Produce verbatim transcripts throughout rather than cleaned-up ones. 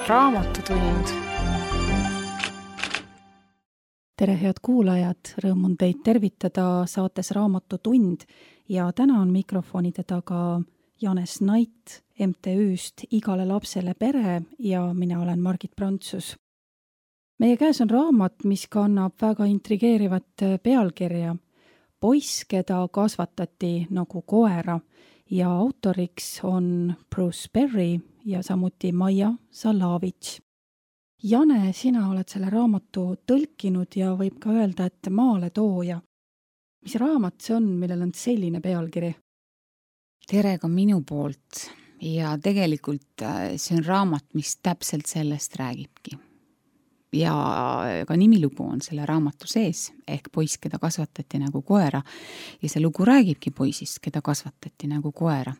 Raamatutund. Tere, head kuulajad, rõõm on teid tervitada saates Raamatutund ja täna on mikrofonide taga Janes Nait M T Üst Igale lapsele pere ja mina olen Margit Prantsus. Meie käes on raamat, mis kannab väga intrigeerivat pealkirja Poiss, keda kasvatati nagu koera ja autoriks on Bruce Perry ja samuti Maia Salavitš. Jane, sina oled selle raamatu tõlkinud ja võib ka öelda, et maaletooja. Mis raamat see on, millel on selline pealkiri? Tere ka minu poolt ja tegelikult see on raamat, mis täpselt sellest räägibki. Ja ka nimilugu on selle raamatu sees, ehk Poiss, keda kasvatati nagu koera ja see lugu räägibki poisist, keda kasvatati nagu koera.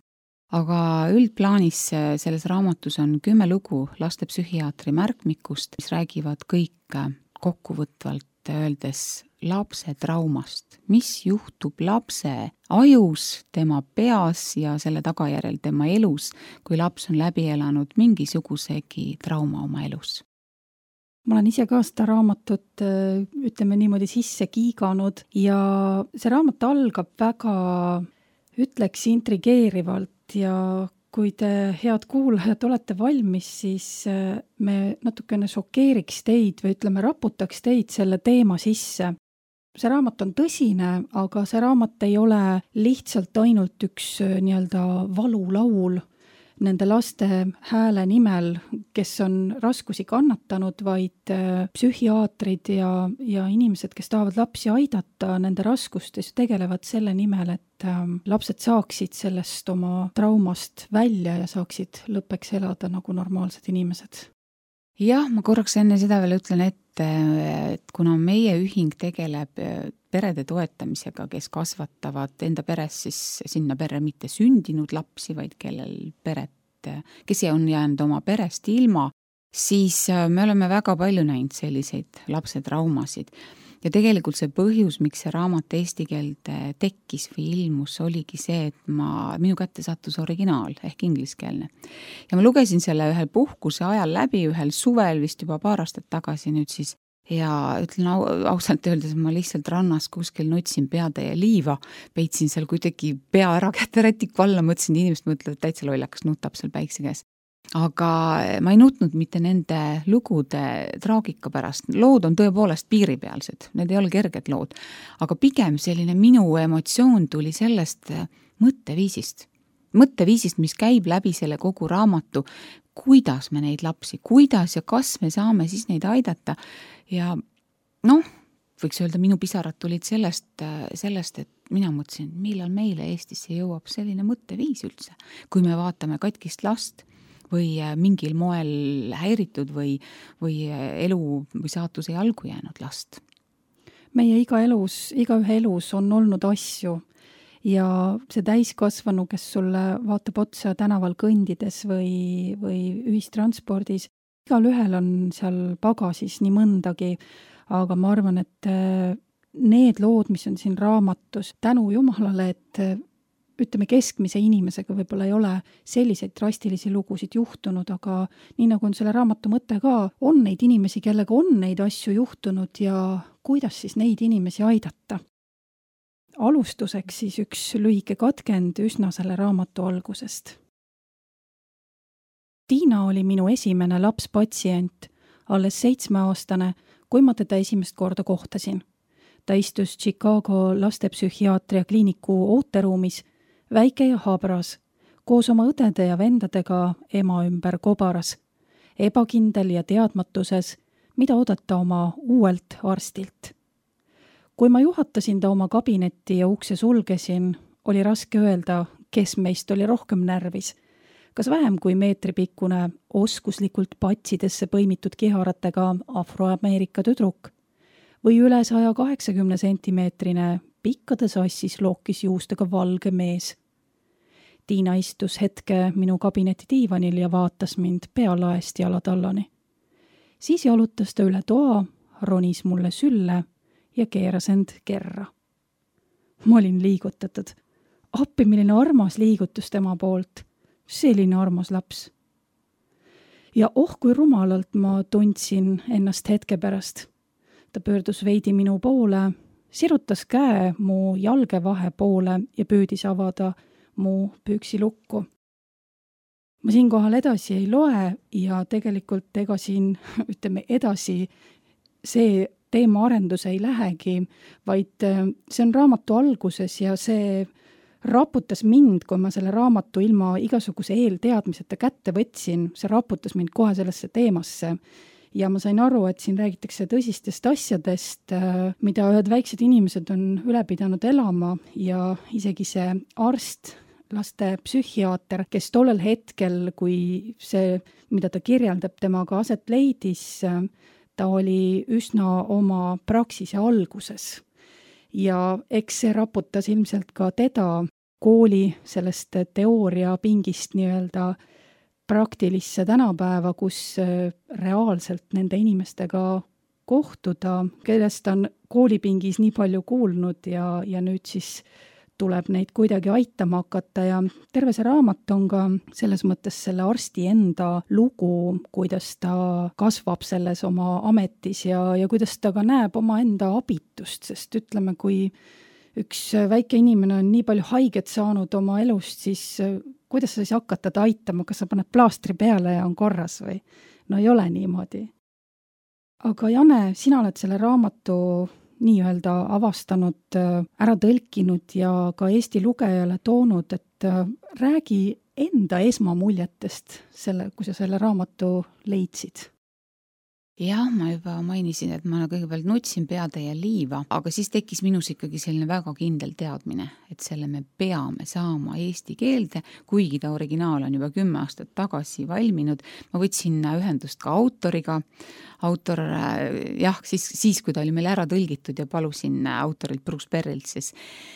Aga üldplaanis selles raamatus on kümme lugu lastepsühhiaatri märkmikust, mis räägivad kõik kokkuvõtvalt öeldes lapse traumast, mis juhtub lapse ajus, tema peas ja selle tagajärjel tema elus, kui laps on läbi elanud mingisugusegi trauma oma elus. Ma olen ise ka seda raamatut, ütleme niimoodi, sisse kiiganud ja see raamat algab väga, ütleks, intrigeerivalt ja kui te, head kuulajad, olete valmis, siis me natukene šokeeriks teid või ütleme, raputaks teid selle teema sisse. See raamat on tõsine, aga see raamat ei ole lihtsalt ainult üks nii-öelda valulaul nende laste hääle nimel, kes on raskusi kannatanud, vaid psühhiaatrid ja, ja inimesed, kes tahavad lapsi aidata nende raskustes, tegelevad selle nimel, et lapsed saaksid sellest oma traumast välja ja saaksid lõppeks elada nagu normaalsed inimesed. Jah, ma korraks enne seda veel ütlen, et, et kuna meie ühing tegeleb perede toetamisega, kes kasvatavad enda peres siis sinna perre mitte sündinud lapsi, vaid kellel peret, kes on jäänud oma perest ilma, siis me oleme väga palju näinud selliseid lapse traumasid. Ja tegelikult see põhjus, miks see raamat eesti keelde tekkis või ilmus, oligi see, et ma, minu kätte sattus originaal ehk ingliskeelne. Ja ma lugesin selle ühel puhkuse ajal läbi, ühel suvel vist juba paar aastat tagasi nüüd siis, ja ütlen au, ausalt öeldes, ma lihtsalt rannas kuskil nutsin peatäie liiva, peitsin seal kuidagi pea ära kätte rätiku alla, mõtlesin, inimesed mõtlevad, täitsa lollakas nutab seal päikse käes. Aga ma ei nutnud mitte nende lugude traagika pärast. Lood on tõepoolest piiripealsed, need ei ole kerged lood. Aga pigem selline minu emotsioon tuli sellest mõtteviisist. Mõtteviisist, mis käib läbi selle kogu raamatu, kuidas me neid lapsi, kuidas ja kas me saame siis neid aidata. Ja noh, võiks öelda, minu pisarad tulid sellest, sellest, et mina mõtlesin, millal meile Eestisse jõuab selline mõtteviis üldse. Kui me vaatame katkist last või mingil moel häiritud või, või elu või saatuse jalgu jäänud last. Meie iga elus, iga ühe elus on olnud asju ja see täiskasvanu, kes sulle vaatab otsa tänaval kõndides või, või ühistranspordis, igal ühel on seal pagasis nii mõndagi, aga ma arvan, et need lood, mis on siin raamatus, tänu Jumalale, et ütleme, keskmise inimesega võib-olla ei ole selliseid drastilisi lugusid juhtunud, aga nii nagu on selle raamatu mõte ka, on neid inimesi, kellega on neid asju juhtunud ja kuidas siis neid inimesi aidata. Alustuseks siis üks lühike katkend üsna selle raamatu algusest. Tiina oli minu esimene lapspatsient, alles seitsmeaastane, kui ma teda esimest korda kohtasin. Ta istus Chicago lastepsühhiaatria kliiniku ooteruumis, väike ja habras, koos oma õdede ja vendadega ema ümber kobaras, ebakindel ja teadmatuses, mida oodata oma uuelt arstilt. Kui ma juhatasin ta oma kabinetti ja ukse sulgesin, oli raske öelda, kes meist oli rohkem närvis, kas vähem kui meetripikkune oskuslikult patsidesse põimitud kiharatega afroameerika tüdruk või üle saja kaheksakümne sentimeetrine pikkade sassis lookis juustega valge mees. Tiina istus hetke minu kabineti diivanil ja vaatas mind pealaest jalatallani. Siis jalutas ta üle toa, ronis mulle sülle ja keeras end kerra. Ma olin liigutatud. Appi, milline armas liigutus tema poolt. Selline armas laps. ja oh, kui rumalalt ma tundsin ennast hetke pärast. Ta pöördus veidi minu poole, sirutas käe mu jalgevahe poole ja püüdis avada mu püksilukku. Ma siinkohal edasi ei loe ja tegelikult ega siin, ütleme edasi, see teema arendus ei lähegi, vaid see on raamatu alguses ja see raputas mind, kui ma selle raamatu ilma igasuguse eelteadmiseta kätte võtsin, see raputas mind kohe sellesse teemasse. Ja ma sain aru, et siin räägitakse tõsistest asjadest, mida ühed väiksed inimesed on üle pidanud elama ja isegi see arst, laste psühhiaater, kes tollel hetkel, kui see, mida ta kirjeldab, temaga aset leidis, ta oli üsna oma praksise alguses. Ja eks see raputas ilmselt ka teda kooli sellest teooria pingist nii-öelda praktilisse tänapäeva, kus reaalselt nende inimestega kohtuda, kellest on koolipingis nii palju kuulnud ja, ja nüüd siis tuleb neid kuidagi aitama hakata ja terve see raamat on ka selles mõttes selle arsti enda lugu, kuidas ta kasvab selles oma ametis ja, ja kuidas ta ka näeb oma enda abitust, sest ütleme, kui üks väike inimene on nii palju haiget saanud oma elust, siis kuidas sa siis hakata ta aitama, kas sa paned plaastri peale ja on korras või? No ei ole niimoodi. Aga Jane, sina oled selle raamatu nii-öelda avastanud, ära tõlkinud ja ka Eesti lugejale toonud, et räägi enda esmamuljetest, selle, kui sa selle raamatu leidsid. Jah, ma juba mainisin, et ma kõigepealt nutsin peatäie liiva, aga siis tekkis minus ikkagi selline väga kindel teadmine, et selle me peame saama eesti keelde, kuigi ta originaal on juba kümme aastat tagasi valminud. Ma võtsin ühendust ka autoriga. Autor, jah, siis, siis kui ta oli meil ära tõlgitud ja palusin autorilt Bruce Perrilt, siis,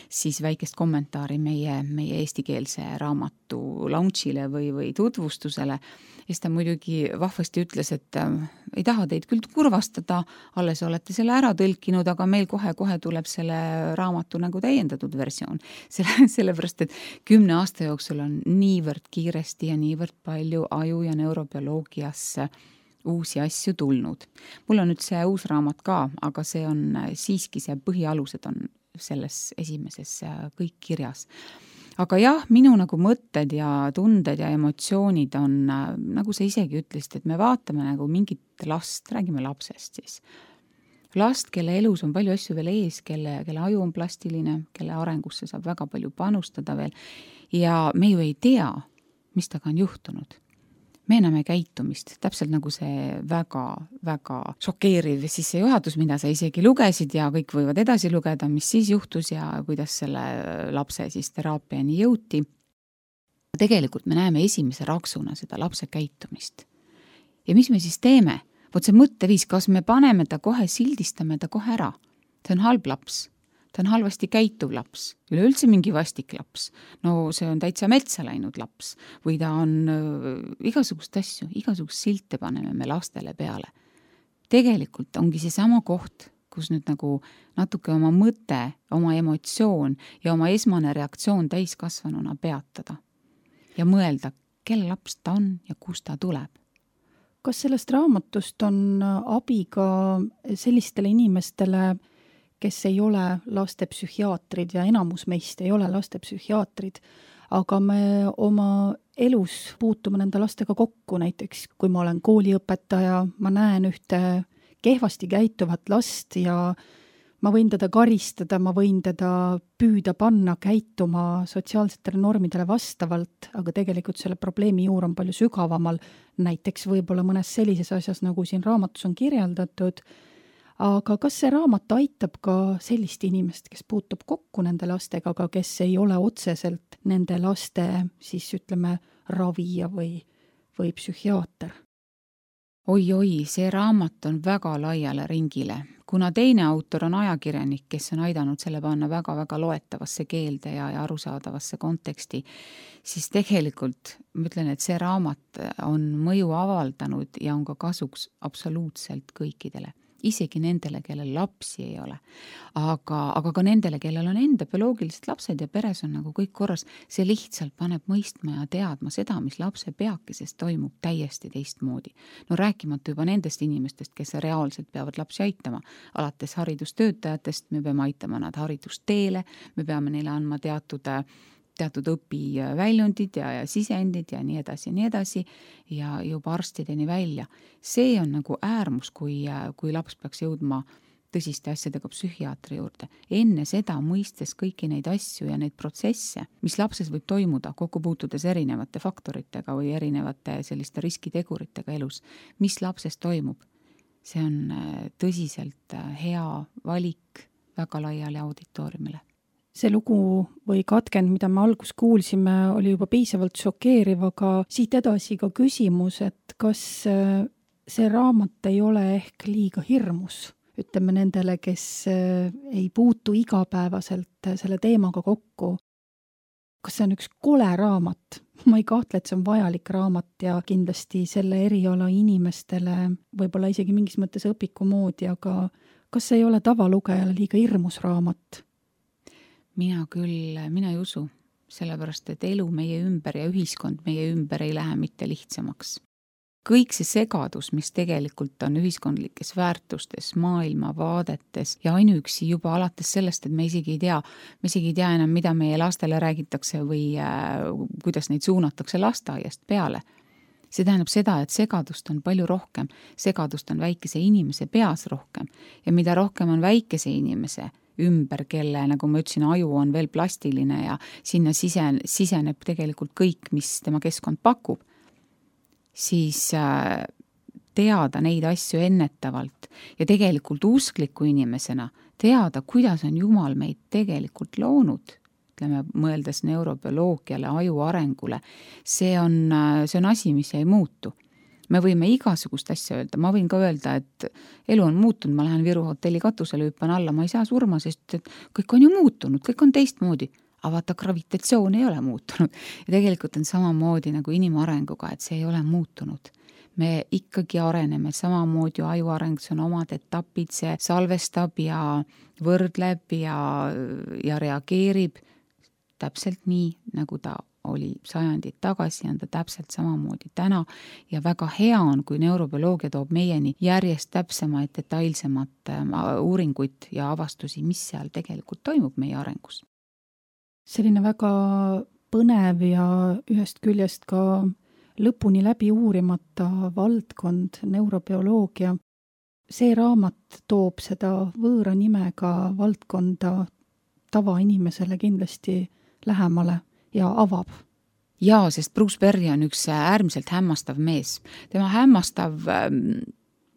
siis väikest kommentaari meie, meie eestikeelse raamatu launchile või, või tutvustusele. Ja ta muidugi vahvasti ütles, et äh, ei taha teid küll kurvastada, alles olete selle ära tõlkinud, aga meil kohe-kohe tuleb selle raamatu nagu täiendatud versioon. Selle, sellepärast, et kümne aasta jooksul on niivõrd kiiresti ja niivõrd palju aju- ja neurobioloogiasse uusi asju tulnud. Mul on nüüd see uus raamat ka, aga see on siiski see põhialused on selles esimeses kõik kirjas. Aga jah, minu nagu mõtted ja tunded ja emotsioonid on, nagu sa isegi ütlesid, et me vaatame nagu mingit last, räägime lapsest siis. Last, kelle elus on palju asju veel ees, kelle, kelle aju on plastiline, kelle arengusse saab väga palju panustada veel. Ja me ju ei tea, mis taga on juhtunud. Me näeme käitumist, täpselt nagu see väga, väga šokeeriv sissejuhatus, mida sa isegi lugesid ja kõik võivad edasi lugeda, mis siis juhtus ja kuidas selle lapse siis teraapiani jõuti. Tegelikult me näeme esimese raksuna seda lapse käitumist. Ja mis me siis teeme? Vot see mõtteviis, kas me paneme ta kohe, sildistame ta kohe ära. See on halb laps. Ta on halvasti käituv laps, üleüldse mingi vastik laps. No see on täitsa metsa läinud laps või ta on äh, igasugust asju, igasugust silte paneme me lastele peale. Tegelikult ongi see sama koht, kus nüüd nagu natuke oma mõte, oma emotsioon ja oma esmane reaktsioon täiskasvanuna peatada ja mõelda, kelle laps ta on ja kust ta tuleb. Kas sellest raamatust on abi ka sellistele inimestele, kes ei ole lastepsühhiaatrid ja enamus meist ei ole lastepsühhiaatrid, aga me oma elus puutume nende lastega kokku, näiteks kui ma olen kooliõpetaja, ma näen ühte kehvasti käituvat last ja ma võin teda karistada, ma võin teda püüda panna käituma sotsiaalsetele normidele vastavalt, aga tegelikult selle probleemi juur on palju sügavamal, näiteks võib-olla mõnes sellises asjas, nagu siin raamatus on kirjeldatud. Aga kas see raamat aitab ka sellist inimest, kes puutub kokku nende lastega, aga kes ei ole otseselt nende laste, siis ütleme, ravija või, või psühhiaater? Oi-oi, see raamat on väga laiale ringile. Kuna teine autor on ajakirjanik, kes on aidanud selle panna väga-väga loetavasse keelde ja, ja arusaadavasse konteksti, siis tegelikult ma ütlen, et see raamat on mõju avaldanud ja on ka kasuks absoluutselt kõikidele. isegi nendele, kellel lapsi ei ole. Aga, aga ka nendele, kellel on enda bioloogilised lapsed ja peres on nagu kõik korras, see lihtsalt paneb mõistma ja teadma seda, mis lapse peakeses toimub täiesti teistmoodi. No rääkimata juba nendest inimestest, kes reaalselt peavad lapsi aitama. Alates haridustöötajatest me peame aitama nad haridusteele, me peame neile andma teatud teatud õpiväljundid ja, ja sisendid ja nii edasi ja nii edasi ja juba arstideni välja. See on nagu äärmus, kui, kui laps peaks jõudma tõsiste asjadega psühhiaatri juurde. Enne seda mõistes kõiki neid asju ja neid protsesse, mis lapses võib toimuda, kokku puutudes erinevate faktoritega või erinevate selliste riskiteguritega elus, mis lapses toimub. See on tõsiselt hea valik väga laiali auditooriumile. See lugu või katkend, mida me algus kuulsime, oli juba piisavalt šokeeriv, aga siit edasi ka küsimus, et kas see raamat ei ole ehk liiga hirmus, ütleme nendele, kes ei puutu igapäevaselt selle teemaga kokku. Kas see on üks kole raamat? Ma ei kahtle, et see on vajalik raamat ja kindlasti selle eriala inimestele võib-olla isegi mingis mõttes õpiku moodi, aga kas see ei ole tavalugejale liiga hirmus raamat? Mina küll, mina ei usu, sellepärast, et elu meie ümber ja ühiskond meie ümber ei lähe mitte lihtsamaks. Kõik see segadus, mis tegelikult on ühiskondlikes väärtustes, maailmavaadetes ja ainuüksi juba alates sellest, et me isegi ei tea, me isegi ei tea enam, mida meie lastele räägitakse või äh, kuidas neid suunatakse lasteaiast peale. See tähendab seda, et segadust on palju rohkem, segadust on väikese inimese peas rohkem ja mida rohkem on väikese inimese ümber, kelle, nagu ma ütlesin, aju on veel plastiline ja sinna sisen, siseneb tegelikult kõik, mis tema keskkond pakub, siis teada neid asju ennetavalt ja tegelikult uskliku inimesena teada, kuidas on Jumal meid tegelikult loonud, ütleme, mõeldes neurobioloogiale, aju arengule, see on, see on asi, mis ei muutu. Me võime igasugust asja öelda, ma võin ka öelda, et elu on muutunud, ma lähen Viru hotelli katusele, hüppan alla, ma ei saa surma, sest et kõik on ju muutunud, kõik on teistmoodi, aga vaata, gravitatsioon ei ole muutunud ja tegelikult on samamoodi nagu inimarenguga, et see ei ole muutunud. Me ikkagi areneme samamoodi, aju areng, see on omad etapid, see salvestab ja võrdleb ja, ja reageerib täpselt nii, nagu ta oli sajandid tagasi, on ta täpselt samamoodi täna ja väga hea on, kui neurobioloogia toob meieni järjest täpsemaid, detailsemat uuringuid ja avastusi, mis seal tegelikult toimub meie arengus. Selline väga põnev ja ühest küljest ka lõpuni läbi uurimata valdkond, neurobioloogia. See raamat toob seda võõra nimega valdkonda tavainimesele kindlasti lähemale ja avab. Jaa, sest Bruce Perry on üks äärmiselt hämmastav mees. Tema hämmastav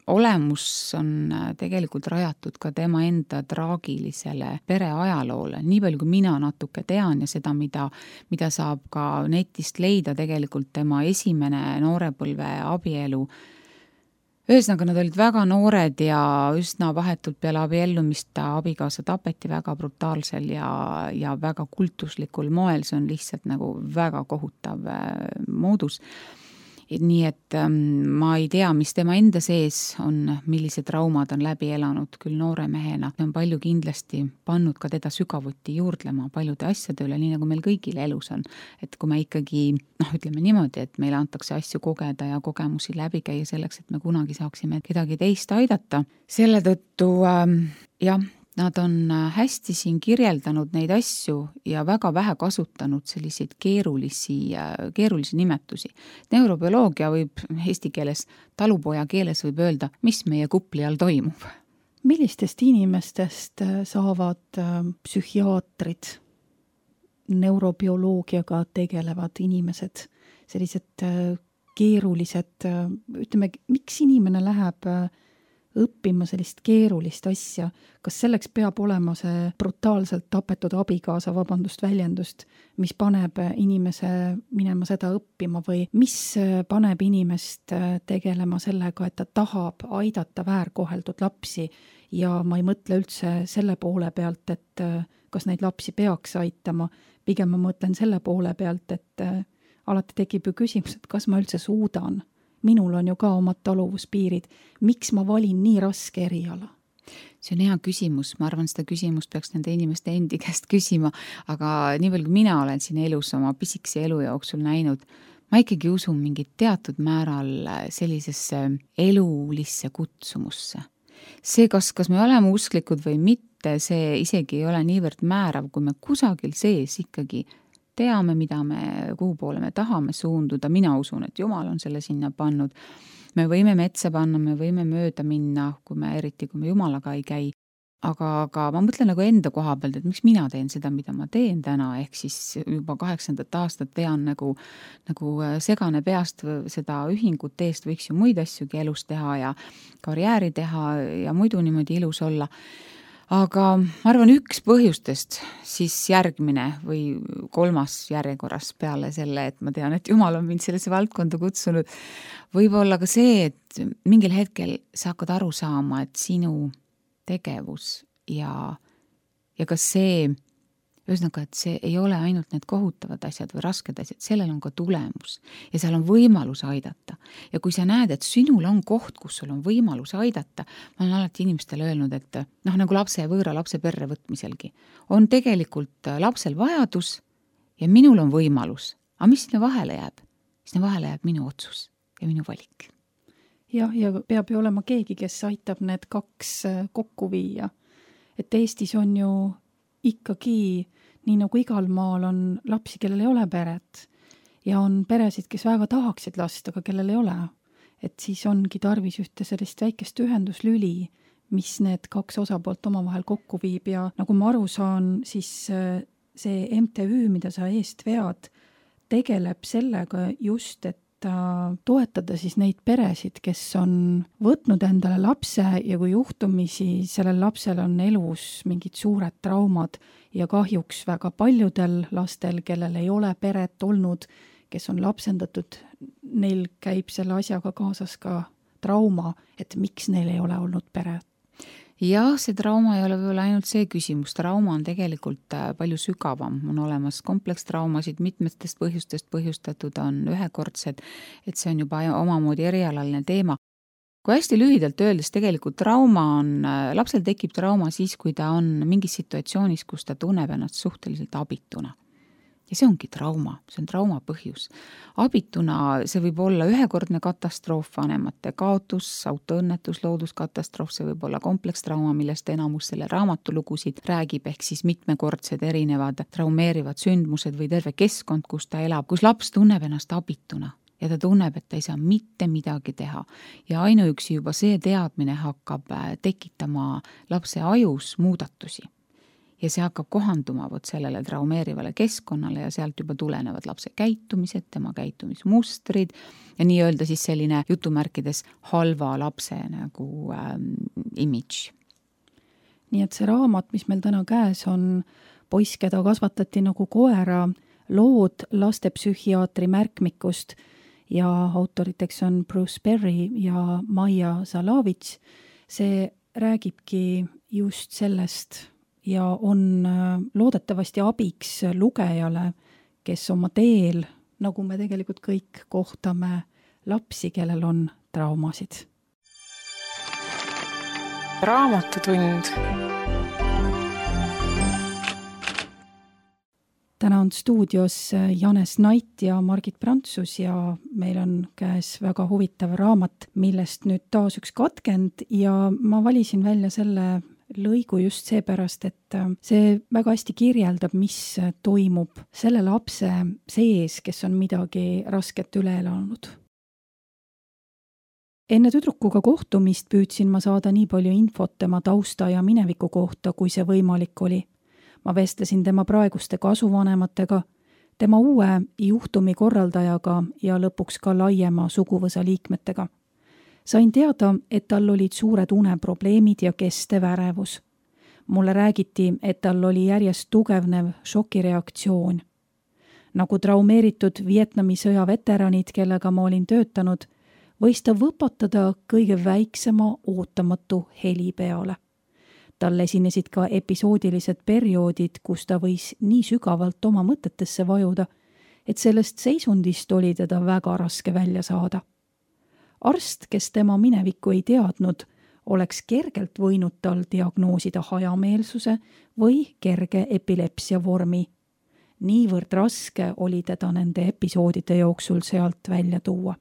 olemus on tegelikult rajatud ka tema enda traagilisele pereajaloole. Nii palju, kui mina natuke tean ja seda, mida, mida saab ka netist leida, tegelikult tema esimene noorepõlve abielu. Ühesõnaga, nad olid väga noored ja üsna vahetult peale abiellumist ta abikaasa tapeti väga brutaalsel ja, ja väga kultuslikul moel. See on lihtsalt nagu väga kohutav moodus. Nii et ähm, ma ei tea, mis tema enda sees on, millised traumad on läbi elanud küll noore mehena. See on palju kindlasti pannud ka teda sügavuti juurdlema paljude asjade üle, nii nagu meil kõigil elus on. Et kui me ikkagi, noh, ütleme niimoodi, et meile antakse asju kogeda ja kogemusi läbi käia selleks, et me kunagi saaksime kedagi teist aidata. Selle tõttu, ähm, jah, nad on hästi siin kirjeldanud neid asju ja väga vähe kasutanud selliseid keerulisi, keerulisi nimetusi. Neurobioloogia võib eesti keeles, talupoja keeles võib öelda, mis meie kupli all toimub. Millistest inimestest saavad psühhiaatrid, neurobioloogiaga tegelevad inimesed, sellised keerulised, ütleme, miks inimene läheb õppima sellist keerulist asja, kas selleks peab olema see brutaalselt tapetud abikaasa, vabandust väljendust, mis paneb inimese minema seda õppima või mis paneb inimest tegelema sellega, et ta tahab aidata väärkoheldud lapsi ja ma ei mõtle üldse selle poole pealt, et kas neid lapsi peaks aitama, pigem ma mõtlen selle poole pealt, et alati tekib ju küsimus, et kas ma üldse suudan. minul on ju ka omad taluvuspiirid. Miks ma valin nii raske eriala? See on hea küsimus, ma arvan, seda küsimust peaks nende inimeste endi käest küsima, aga nii palju, kui mina olen siin elus oma pisikese elu jooksul näinud, ma ikkagi usun mingit teatud määral sellisesse elulisse kutsumusse. See, kas, kas me oleme usklikud või mitte, see isegi ei ole niivõrd määrav, kui me kusagil sees ikkagi teame, mida me, kuhu poole me tahame suunduda. Mina usun, et Jumal on selle sinna pannud. Me võime metsa panna, me võime mööda minna, kui me eriti, kui me Jumalaga ei käi. Aga, aga ma mõtlen nagu enda koha pealt, et miks mina teen seda, mida ma teen täna, ehk siis juba kaheksandat aastat vean nagu, nagu segane peast seda ühingut eest, võiks ju muid asjugi elus teha ja karjääri teha ja muidu niimoodi ilus olla. Aga ma arvan, üks põhjustest siis järgmine või kolmas järjekorras peale selle, et ma tean, et Jumal on mind sellesse valdkonda kutsunud, võib-olla ka see, et mingil hetkel sa hakkad aru saama, et sinu tegevus ja, ja ka see, ühesõnaga, et see ei ole ainult need kohutavad asjad või rasked asjad, sellel on ka tulemus ja seal on võimalus aidata. Ja kui sa näed, et sinul on koht, kus sul on võimalus aidata, ma olen alati inimestele öelnud, et noh, nagu lapse ja võõra lapse perre võtmiselgi, on tegelikult lapsel vajadus ja minul on võimalus. Aga mis sinna vahele jääb? Sinna vahele jääb minu otsus ja minu valik. Jah, ja peab ju olema keegi, kes aitab need kaks kokku viia. Et Eestis on ju ikkagi, nii nagu igal maal on lapsi, kellel ei ole peret ja on peresid, kes väga tahaksid last, aga kellel ei ole. Et siis ongi tarvis ühte sellist väikest ühenduslüli, mis need kaks osapoolt omavahel kokku viib ja nagu ma aru saan, siis see M T Ü, mida sa eest vead, tegeleb sellega just, et toetada siis neid peresid, kes on võtnud endale lapse ja kui juhtumisi sellel lapsel on elus mingid suured traumad ja kahjuks väga paljudel lastel, kellel ei ole peret olnud, kes on lapsendatud, neil käib selle asjaga kaasas ka trauma, et miks neil ei ole olnud peret. Jah, see trauma ei ole võib-olla ainult see küsimus. Trauma on tegelikult palju sügavam. On olemas komplekstraumasid, mitmetest põhjustest põhjustatud on ühekordsed, et see on juba omamoodi erialaline teema. Kui hästi lühidalt öeldes tegelikult trauma on, lapsel tekib trauma siis, kui ta on mingis situatsioonis, kus ta tunneb ennast suhteliselt abituna. Ja see ongi trauma, see on trauma põhjus. Abituna see võib olla ühekordne katastroof, vanemate kaotus, autoõnnetus, looduskatastroof, see võib olla komplekstrauma, millest enamus selle raamatulugusid räägib, ehk siis mitmekordsed erinevad traumeerivad sündmused või terve keskkond, kus ta elab, kus laps tunneb ennast abituna ja ta tunneb, et ta ei saa mitte midagi teha. Ja ainuüksi juba see teadmine hakkab tekitama lapse ajus muudatusi. Ja see hakkab kohanduma võt sellele traumeerivale keskkonnale ja sealt juba tulenevad lapse käitumised, tema käitumismustrid ja nii öelda siis selline jutumärkides halva lapse nagu ähm, image. Nii et see raamat, mis meil täna käes on, poiss, keda kasvatati nagu koera, lood lastepsühhiaatri märkmikust ja autoriteks on Bruce Perry ja Maia Zalavits. See räägibki just sellest ja on loodetavasti abiks lugejale, kes oma teel, nagu me tegelikult kõik kohtame lapsi, kellel on traumasid. Raamatutund. Täna on stuudios Janes Nait ja Margit Prantsus ja meil on käes väga huvitav raamat, millest nüüd taas üks katkend ja ma valisin välja selle lõigu just seepärast, et see väga hästi kirjeldab, mis toimub selle lapse sees, kes on midagi rasket üle elanud. Enne tüdrukuga kohtumist püüdsin ma saada nii palju infot tema tausta ja mineviku kohta, kui see võimalik oli. Ma vestlesin tema praeguste kasuvanematega, tema uue juhtumi korraldajaga ja lõpuks ka laiema suguvõsa liikmetega. Sain teada, et tal olid suured uneprobleemid ja kestev ärevus. Mulle räägiti, et tal oli järjest tugevnev šokireaktsioon. Nagu traumeeritud Vietnami sõja veteranid, kellega ma olin töötanud, võis ta võpatada kõige väiksema ootamatu heli peale. Tal esinesid ka episoodilised perioodid, kus ta võis nii sügavalt oma mõtetesse vajuda, et sellest seisundist oli teda väga raske välja saada. arst, kes tema minevikku ei teadnud, oleks kergelt võinud tal diagnoosida hajameelsuse või kerge epilepsia vormi. Niivõrd raske oli teda nende episoodide jooksul sealt välja tuua.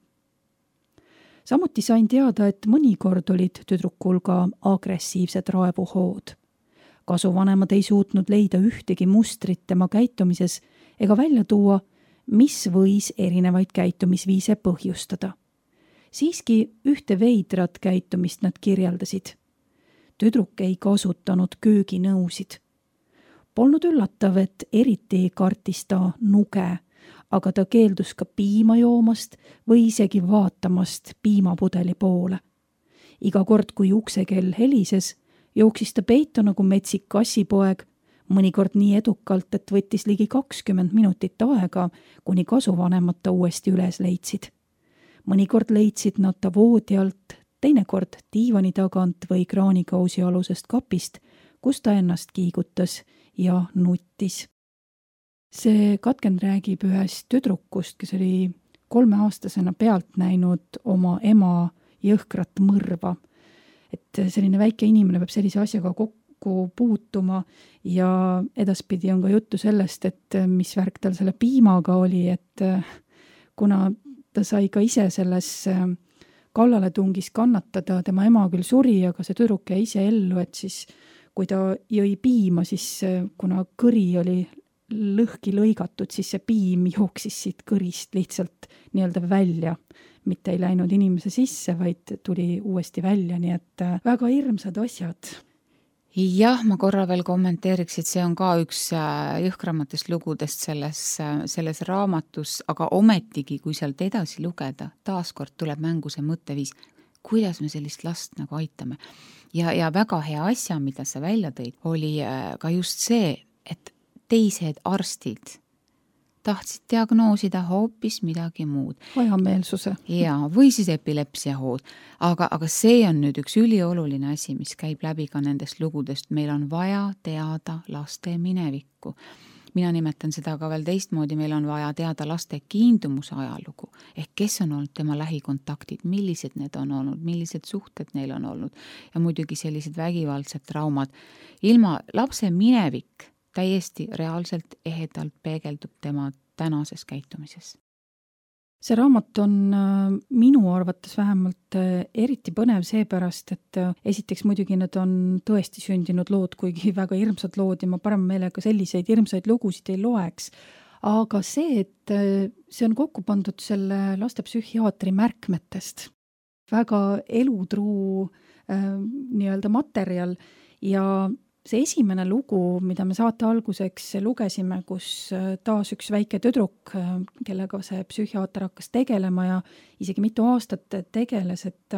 Samuti sain teada, et mõnikord olid tüdrukul ka agressiivsed raevuhood. Kasuvanemad ei suutnud leida ühtegi mustrit tema käitumises ega välja tuua, mis võis erinevaid käitumisviise põhjustada. Siiski ühte veidrat käitumist nad kirjeldasid. Tüdruk ei kasutanud kööginõusid. Polnud üllatav, et eriti kartis ta nuge, aga ta keeldus ka piima joomast või isegi vaatamast piimapudeli poole. Iga kord, kui uksekell helises, jooksis ta peitu nagu metsik kassipoeg, mõnikord nii edukalt, et võttis ligi kakskümmend minutit aega, kuni kasuvanemad ta uuesti üles leidsid. Mõnikord leidsid nad ta voodi alt, teinekord diivani tagant või kraanikausi alusest kapist, kus ta ennast kiigutas ja nuttis. See katkend räägib ühest tüdrukust, kes oli kolmeaastasena pealt näinud oma ema jõhkrat mõrva. Et selline väike inimene peab sellise asjaga kokku puutuma ja edaspidi on ka juttu sellest, et mis värk tal selle piimaga oli, et kuna ta sai ka ise selles kallaletungis kannatada, tema ema küll suri, aga see tüdruk jäi ise ellu, et siis kui ta jõi piima, siis kuna kõri oli lõhki lõigatud, siis see piim jooksis siit kõrist lihtsalt nii-öelda välja. Mitte ei läinud inimese sisse, vaid tuli uuesti välja, nii et väga hirmsad asjad. Jah, ma korra veel kommenteeriks, et see on ka üks jõhkramatest lugudest selles, selles raamatus, aga ometigi, kui sealt edasi lugeda, taaskord tuleb mängu see mõtteviis, kuidas me sellist last nagu aitame. Ja, ja väga hea asja, mida sa välja tõid, oli ka just see, et teised arstid tahtsid diagnoosida hoopis midagi muud. Hajameelsuse. Ja, või siis epilepsiahood. Aga, aga see on nüüd üks ülioluline asi, mis käib läbi ka nendest lugudest. Meil on vaja teada laste minevikku. Mina nimetan seda ka veel teistmoodi, meil on vaja teada laste kiindumuse ajalugu. Ehk kes on olnud tema lähikontaktid, millised need on olnud, millised suhted neil on olnud ja muidugi sellised vägivaldsed traumad. Ilma lapse minevik täiesti reaalselt ehedalt peegeldub tema tänases käitumises. See raamat on minu arvates vähemalt eriti põnev seepärast, et esiteks muidugi need on tõesti sündinud lood, kuigi väga hirmsad lood ja ma parem meelega selliseid hirmsaid lugusid ei loeks. Aga see, et see on kokku pandud selle lastepsühhiaatri märkmetest. Väga elutruu äh, nii-öelda materjal ja see esimene lugu, mida me saate alguseks lugesime, kus taas üks väike tüdruk, kellega see psühhiaater hakkas tegelema ja isegi mitu aastat tegeles, et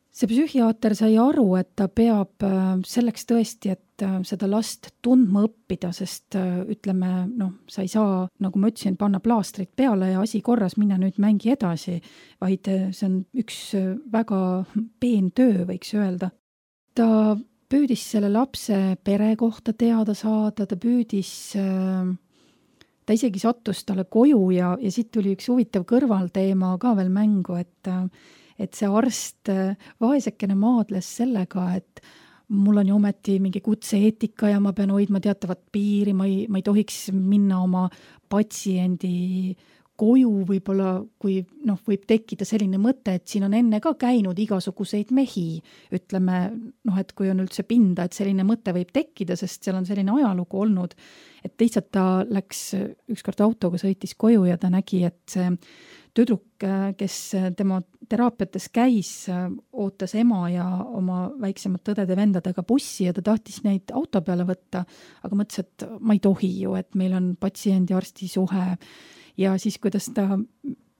see psühhiaater sai aru, et ta peab selleks tõesti, et seda last tundma õppida, sest ütleme, noh, sa ei saa, nagu ma ütlesin, panna plaastrit peale ja asi korras, minna nüüd mängi edasi, vaid see on üks väga peen töö, võiks öelda. Ta püüdis selle lapse pere kohta teada saada, ta püüdis, ta isegi sattus talle koju ja, ja siit tuli üks huvitav kõrvalteema ka veel mängu, et, et see arst vaesekene maadles sellega, et mul on ju ometi mingi kutse-eetika ja ma pean hoidma teatavat piiri, ma ei, ma ei tohiks minna oma patsiendi koju võib-olla, kui noh, võib tekkida selline mõte, et siin on enne ka käinud igasuguseid mehi, ütleme, noh, et kui on üldse pinda, et selline mõte võib tekkida, sest seal on selline ajalugu olnud, et lihtsalt ta läks ükskord autoga, sõitis koju ja ta nägi, et see tüdruk, kes tema teraapiates käis, ootas ema ja oma väiksemad õdede-vendadega bussi ja ta tahtis neid auto peale võtta, aga mõtles, et ma ei tohi ju, et meil on patsiendi-arsti suhe. Ja siis, kuidas ta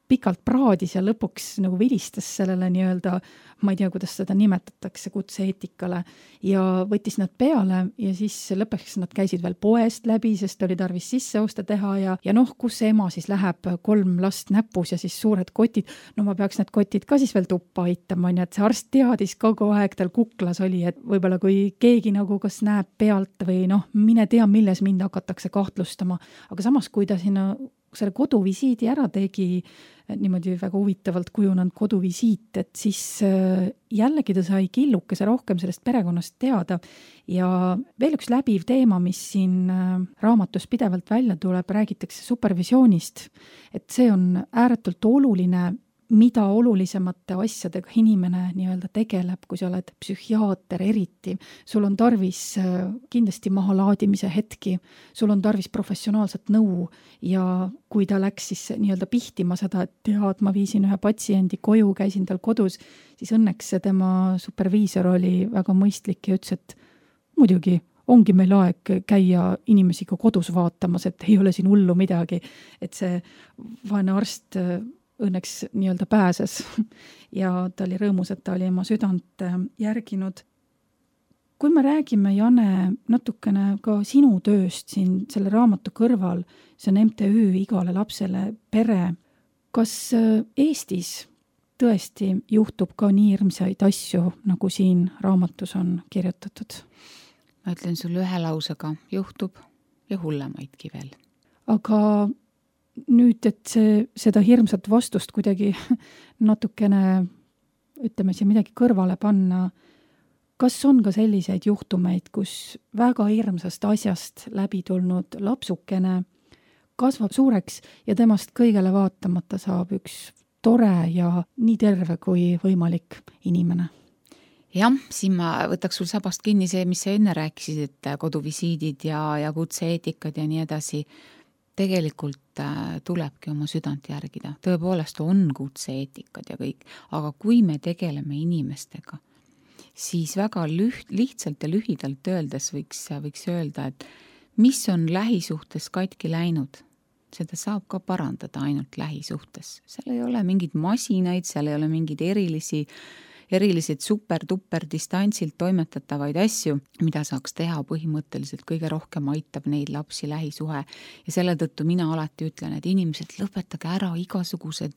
pikalt praadis ja lõpuks nagu vilistas sellele nii-öelda, ma ei tea, kuidas seda nimetatakse kutse-eetikale ja võttis nad peale ja siis lõpuks nad käisid veel poest läbi, sest oli tarvis sisseoste teha ja, ja noh, kus see ema siis läheb, kolm last näpus ja siis suured kotid, no ma peaks need kotid ka siis veel tuppa aitama, nii et see arst teadis kogu aeg, tal kuklas oli, et võib-olla kui keegi nagu kas näeb pealt või noh, mine tea, milles mind hakatakse kahtlustama, aga samas kui ta sinna selle koduvisiidi ära tegi, niimoodi väga huvitavalt kujunenud koduvisiit, et siis jällegi ta sai killukese rohkem sellest perekonnast teada ja veel üks läbiv teema, mis siin raamatus pidevalt välja tuleb, räägitakse supervisioonist, et see on ääretult oluline, mida olulisemate asjadega inimene nii-öelda tegeleb, kui sa oled psühhiaater eriti. Sul on tarvis kindlasti mahalaadimise hetki, sul on tarvis professionaalset nõu ja kui ta läks siis nii-öelda pihtima seda, et tead, ma viisin ühe patsiendi koju, käisin tal kodus, siis õnneks tema superviisor oli väga mõistlik ja ütles, et muidugi ongi meil aeg käia inimesi ka kodus vaatamas, et ei ole siin hullu midagi, et see vaene arst õnneks nii-öelda pääses ja ta oli rõõmus, et ta oli oma südant järginud. Kui me räägime, Jane, natukene ka sinu tööst siin selle raamatu kõrval, see on M T Ü igale lapsele pere, kas Eestis tõesti juhtub ka nii hirmsaid asju, nagu siin raamatus on kirjutatud? Ma ütlen sulle ühe lausega, juhtub ja hullemaidki veel. Aga nüüd, et see, seda hirmsat vastust kuidagi natukene, ütleme siin midagi kõrvale panna, kas on ka selliseid juhtumeid, kus väga hirmsast asjast läbi tulnud lapsukene kasvab suureks ja temast kõigele vaatamata saab üks tore ja nii terve kui võimalik inimene? Jah, siin ma võtaks sul sabast kinni see, mis sa enne rääkisid, et koduvisiidid ja, ja kutse-eetikad ja nii edasi. Tegelikult tulebki oma südant järgida. Tõepoolest on kutse-eetikad ja kõik, aga kui me tegeleme inimestega, siis väga lüht, lihtsalt ja lühidalt öeldes võiks, võiks öelda, et mis on lähisuhtes katki läinud, seda saab ka parandada ainult lähisuhtes. Seal ei ole mingid masinaid, seal ei ole mingid erilisi erilised super-tupper distantsilt toimetatavaid asju, mida saaks teha põhimõtteliselt kõige rohkem aitab neid lapsi lähisuhe. Ja selle tõttu mina alati ütlen, et inimesed lõpetage ära igasugused,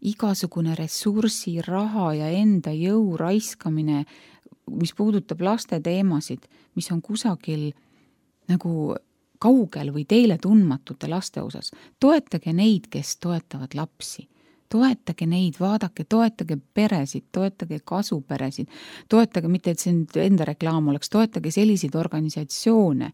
igasugune ressursi, raha ja enda jõu raiskamine, mis puudutab laste teemasid, mis on kusagil nagu kaugel või teile tundmatute laste osas. Toetage neid, kes toetavad lapsi. Toetage neid, vaadake, toetage peresid, toetage kasuperesid, toetage, mitte et see enda reklaam oleks, toetage selliseid organisatsioone,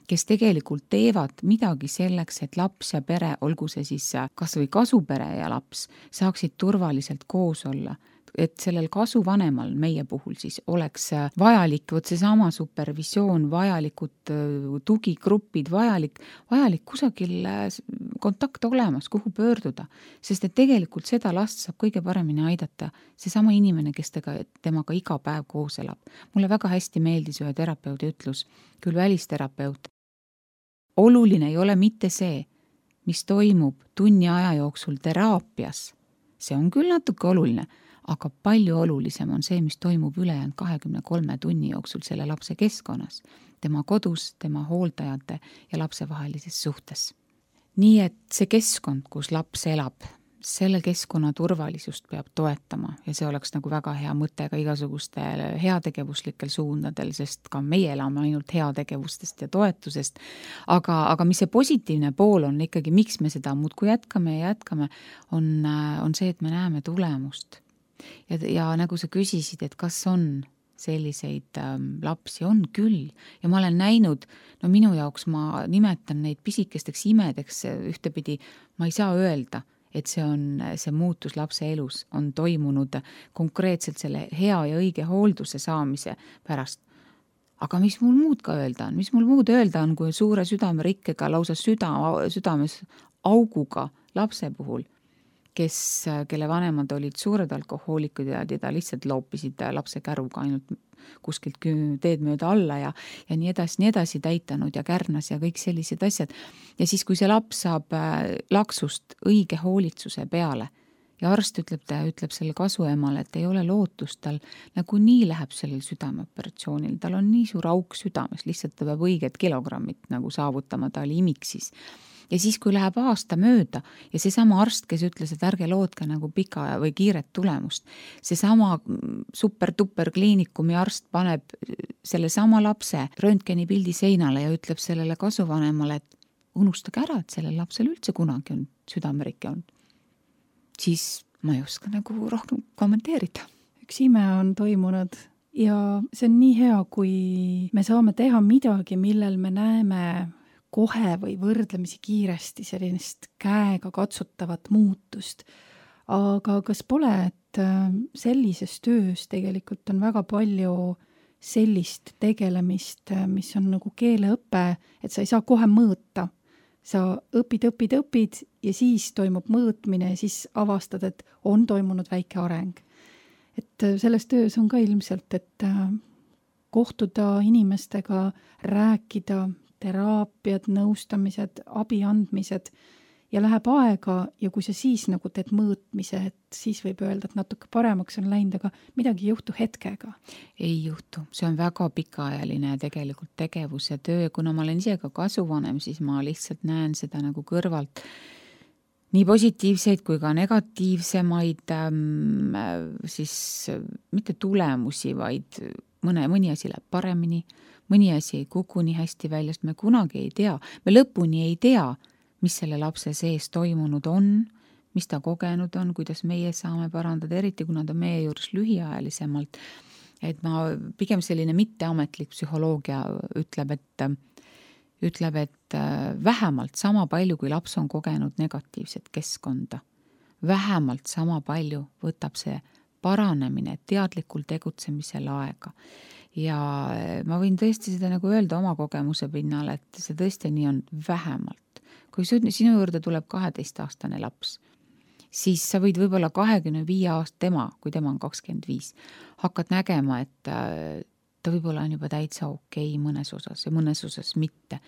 kes tegelikult teevad midagi selleks, et laps ja pere, olgu see siis kas või kasupere ja laps, saaksid turvaliselt koos olla. Et sellel kasuvanemal meie puhul siis oleks vajalik, võt see sama supervisioon, vajalikud tugigrupid, vajalik, vajalik kusagil kontakt olemas, kuhu pöörduda. Sest et tegelikult seda last saab kõige paremini aidata see sama inimene, kes tega, temaga iga päev koos elab. Mulle väga hästi meeldis ühe terapeudi ütlus, küll välisterapeut. Oluline ei ole mitte see, mis toimub tunni aja jooksul teraapias. See on küll natuke oluline, aga palju olulisem on see, mis toimub ülejäänud kahekümne kolme tunni jooksul selle lapse keskkonnas, tema kodus, tema hooldajate ja lapse vahelises suhtes. Nii et see keskkond, kus laps elab, selle keskkonna turvalisust peab toetama ja see oleks nagu väga hea mõte ka igasugustel heategevuslikel suundadel, sest ka meie elame ainult heategevustest ja toetusest. Aga, aga mis see positiivne pool on ikkagi, miks me seda muudkui jätkame ja jätkame, on, on see, et me näeme tulemust. Ja, ja nagu sa küsisid, et kas on selliseid ähm, lapsi, on küll. Ja ma olen näinud, no minu jaoks ma nimetan neid pisikesteks imedeks ühtepidi, ma ei saa öelda, et see on see muutus lapse elus on toimunud konkreetselt selle hea ja õige hoolduse saamise pärast. Aga mis mul muud ka öelda on? Mis mul muud öelda on, kui suure südamerikkega, lausa süda, südames auguga lapse puhul, kes, kelle vanemad olid suured alkohoolikud ja teda lihtsalt loopisid lapse käruga ainult kuskilt teed mööda alla ja, ja nii edasi, nii edasi täitanud ja kärnas ja kõik sellised asjad. Ja siis, kui see laps saab laksust õige hoolitsuse peale ja arst ütleb, ta ütleb selle kasuemale, et ei ole lootust, tal nagu nii läheb sellel südameoperatsioonil, tal on nii suur auk südames, lihtsalt ta peab õiged kilogrammid nagu saavutama, ta oli imiksis. Ja siis, kui läheb aasta mööda ja see sama arst, kes ütles, et ärge lootke nagu pika või kiiret tulemust, see sama super-tupper kliinikumi arst paneb selle sama lapse röntgeni pildi seinale ja ütleb sellele kasuvanemale, et unustage ära, et sellel lapsel üldse kunagi on südamerike olnud. Siis ma ei oska nagu rohkem kommenteerida. Üks ime on toimunud ja see on nii hea, kui me saame teha midagi, millel me näeme kohe või võrdlemisi kiiresti sellist käega katsutavat muutust. Aga kas pole, et sellises töös tegelikult on väga palju sellist tegelemist, mis on nagu keeleõpe, et sa ei saa kohe mõõta. Sa õpid, õpid, õpid ja siis toimub mõõtmine ja siis avastad, et on toimunud väike areng. Et selles töös on ka ilmselt, et kohtuda inimestega, rääkida, teraapiad, nõustamised, abi andmised ja läheb aega ja kui sa siis nagu teed mõõtmise, et siis võib öelda, et natuke paremaks on läinud, aga midagi ei juhtu hetkega. Ei juhtu, see on väga pikaajaline tegelikult tegevus ja töö, kuna ma olen ise ka kasuvanem, siis ma lihtsalt näen seda nagu kõrvalt nii positiivseid kui ka negatiivsemaid ähm, siis mitte tulemusi, vaid mõne, mõni asi läheb paremini, mõni asi ei kuku nii hästi välja, sest me kunagi ei tea, me lõpuni ei tea, mis selle lapse sees toimunud on, mis ta kogenud on, kuidas meie saame parandada, eriti kuna ta meie juures lühiajalisemalt. Et ma pigem selline mitteametlik psühholoogia ütleb, et, ütleb, et vähemalt sama palju, kui laps on kogenud negatiivset keskkonda, vähemalt sama palju võtab see paranemine teadlikul tegutsemisel aega. Ja ma võin tõesti seda nagu öelda oma kogemuse pinnal, et see tõesti nii on vähemalt. Kui sinu juurde tuleb kaheteistaastane laps, siis sa võid võib-olla kahekümne viie aast tema, kui tema on kakskümmend viis, hakkad nägema, et ta võib-olla on juba täitsa okei mõnes osas ja mõnes osas mitte.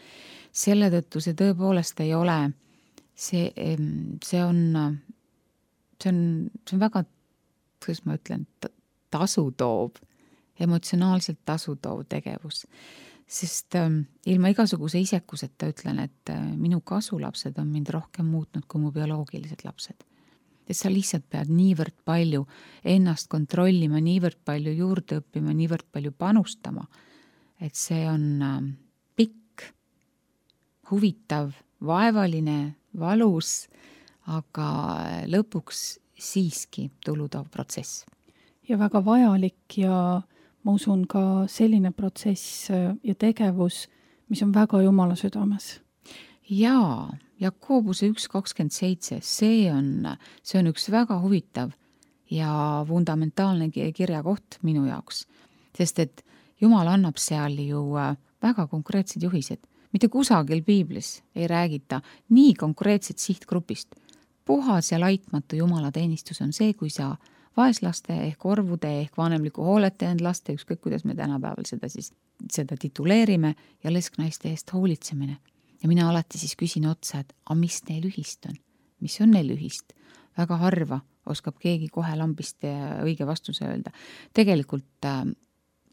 Selle tõttu see tõepoolest ei ole, see, see on, see on, see on väga, kuidas ma ütlen, tasu toob, emotsionaalselt tasu toov tegevus. Sest ähm, ilma igasuguse isekuseta ütlen, et äh, minu kasulapsed on mind rohkem muutnud kui mu bioloogilised lapsed. Et sa lihtsalt pead niivõrd palju ennast kontrollima, niivõrd palju juurde õppima, niivõrd palju panustama, et see on äh, pikk, huvitav, vaevaline, valus, aga lõpuks siiski tuludav protsess. Ja väga vajalik ja ma usun ka selline protsess ja tegevus, mis on väga Jumala südames. Jaa, Jakobuse üks kakskümmend seitse, see on, see on üks väga huvitav ja fundamentaalne kirjakoht minu jaoks. Sest et Jumal annab seal ju väga konkreetsed juhised. Mitte kusagil piiblis ei räägita nii konkreetset sihtgrupist. Puhas ja laitmatu Jumala teenistus on see, kui sa vaeslaste ehk orvude ehk vanemliku hoolete end laste, ükskõik kuidas me tänapäeval seda siis seda tituleerime ja lesknaiste eest hoolitsemine. Ja mina alati siis küsin otsa, et a mis neil ühist on? Mis on neil ühist? Väga harva oskab keegi kohe lambist õige vastuse öelda. Tegelikult äh,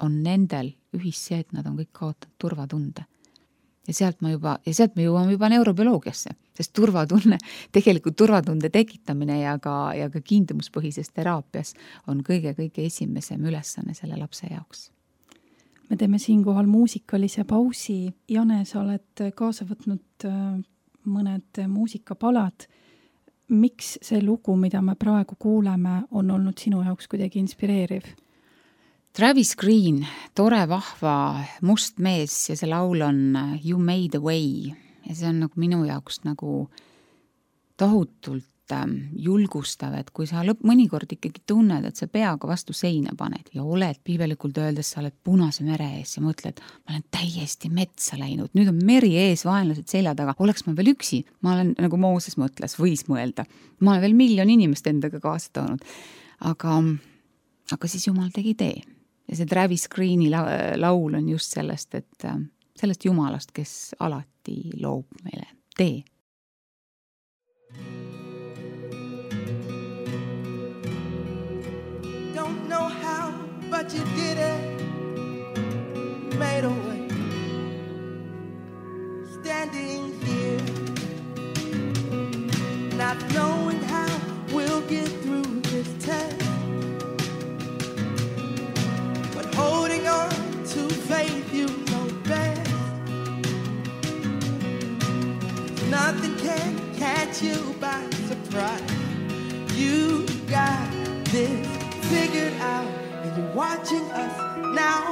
on nendel ühist see, et nad on kõik kaotanud turvatunde. Ja sealt, ma juba, ja sealt me jõuame juba neurobioloogiasse, sest turvatunne, tegelikult turvatunde tekitamine ja ka, ja ka kiindumuspõhises teraapias on kõige-kõige esimesem ülesanne selle lapse jaoks. Me teeme siinkohal muusikalise pausi. Jane, sa oled kaasa võtnud mõned muusikapalad. Miks see lugu, mida me praegu kuuleme, on olnud sinu jaoks kuidagi inspireeriv? Travis Green, tore, vahva, must mees ja see laul on You Made a Way ja see on nagu minu jaoks nagu tohutult ähm, julgustav, et kui sa lõpp mõnikord ikkagi tunned, et sa peaga vastu seina paned ja oled piibelikult öeldes, sa oled punase mere ees ja mõtled, ma olen täiesti metsa läinud, nüüd on meri ees, vaenlased selja taga, oleks ma veel üksi, ma olen nagu Mooses mõtles, võis mõelda, ma olen veel miljon inimest endaga kaasa toonud, aga, aga siis Jumal tegi tee. Ja see Travis Greeni laul on just sellest, et sellest Jumalast, kes alati loob meile tee. Don't know how, but you did it. Made a way. Standing here, not knowing how we'll get through this test. Holding on to faith you know best. nothing can catch you by surprise. You got this figured out, and you're watching us now.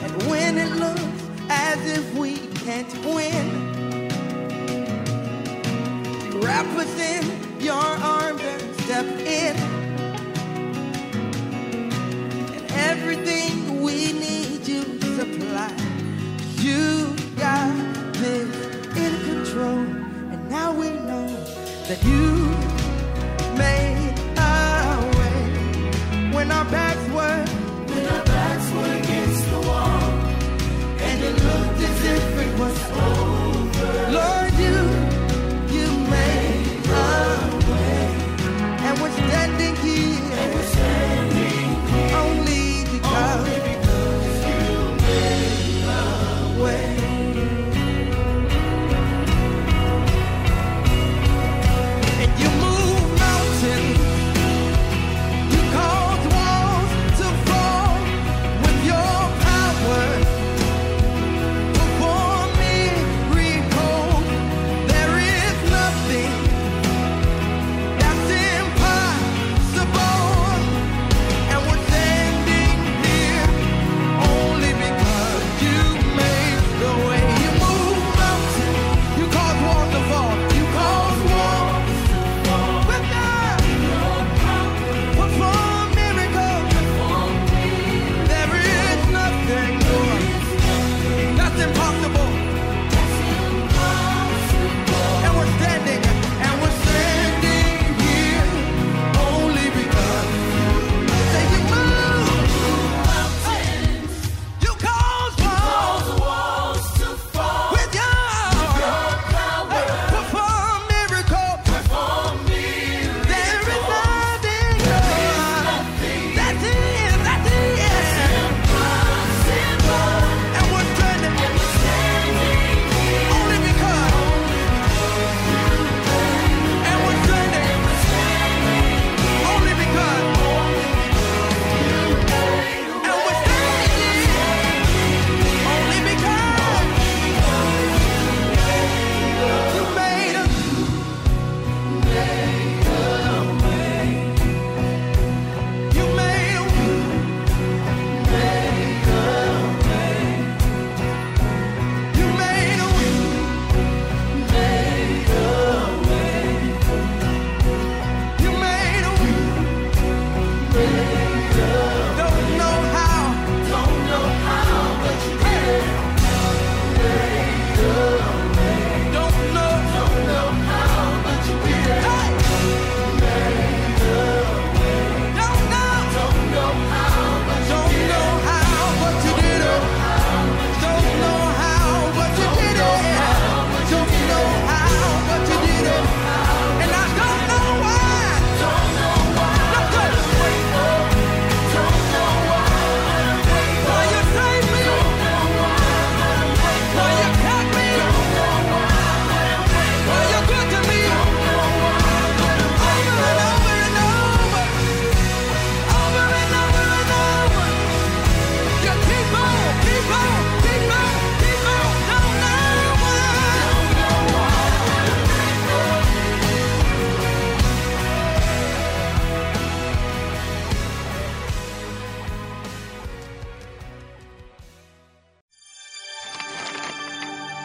And when it looks as if we can't win, you wrap us in your arms and step in. And everything we need you supply. You got this in control, and now we know that you made a way when our backs were when our backs were against the wall, and it looked as if it was over. Lord, you you made a way, and we're standing here, and we're standing here only because, only because you made a way.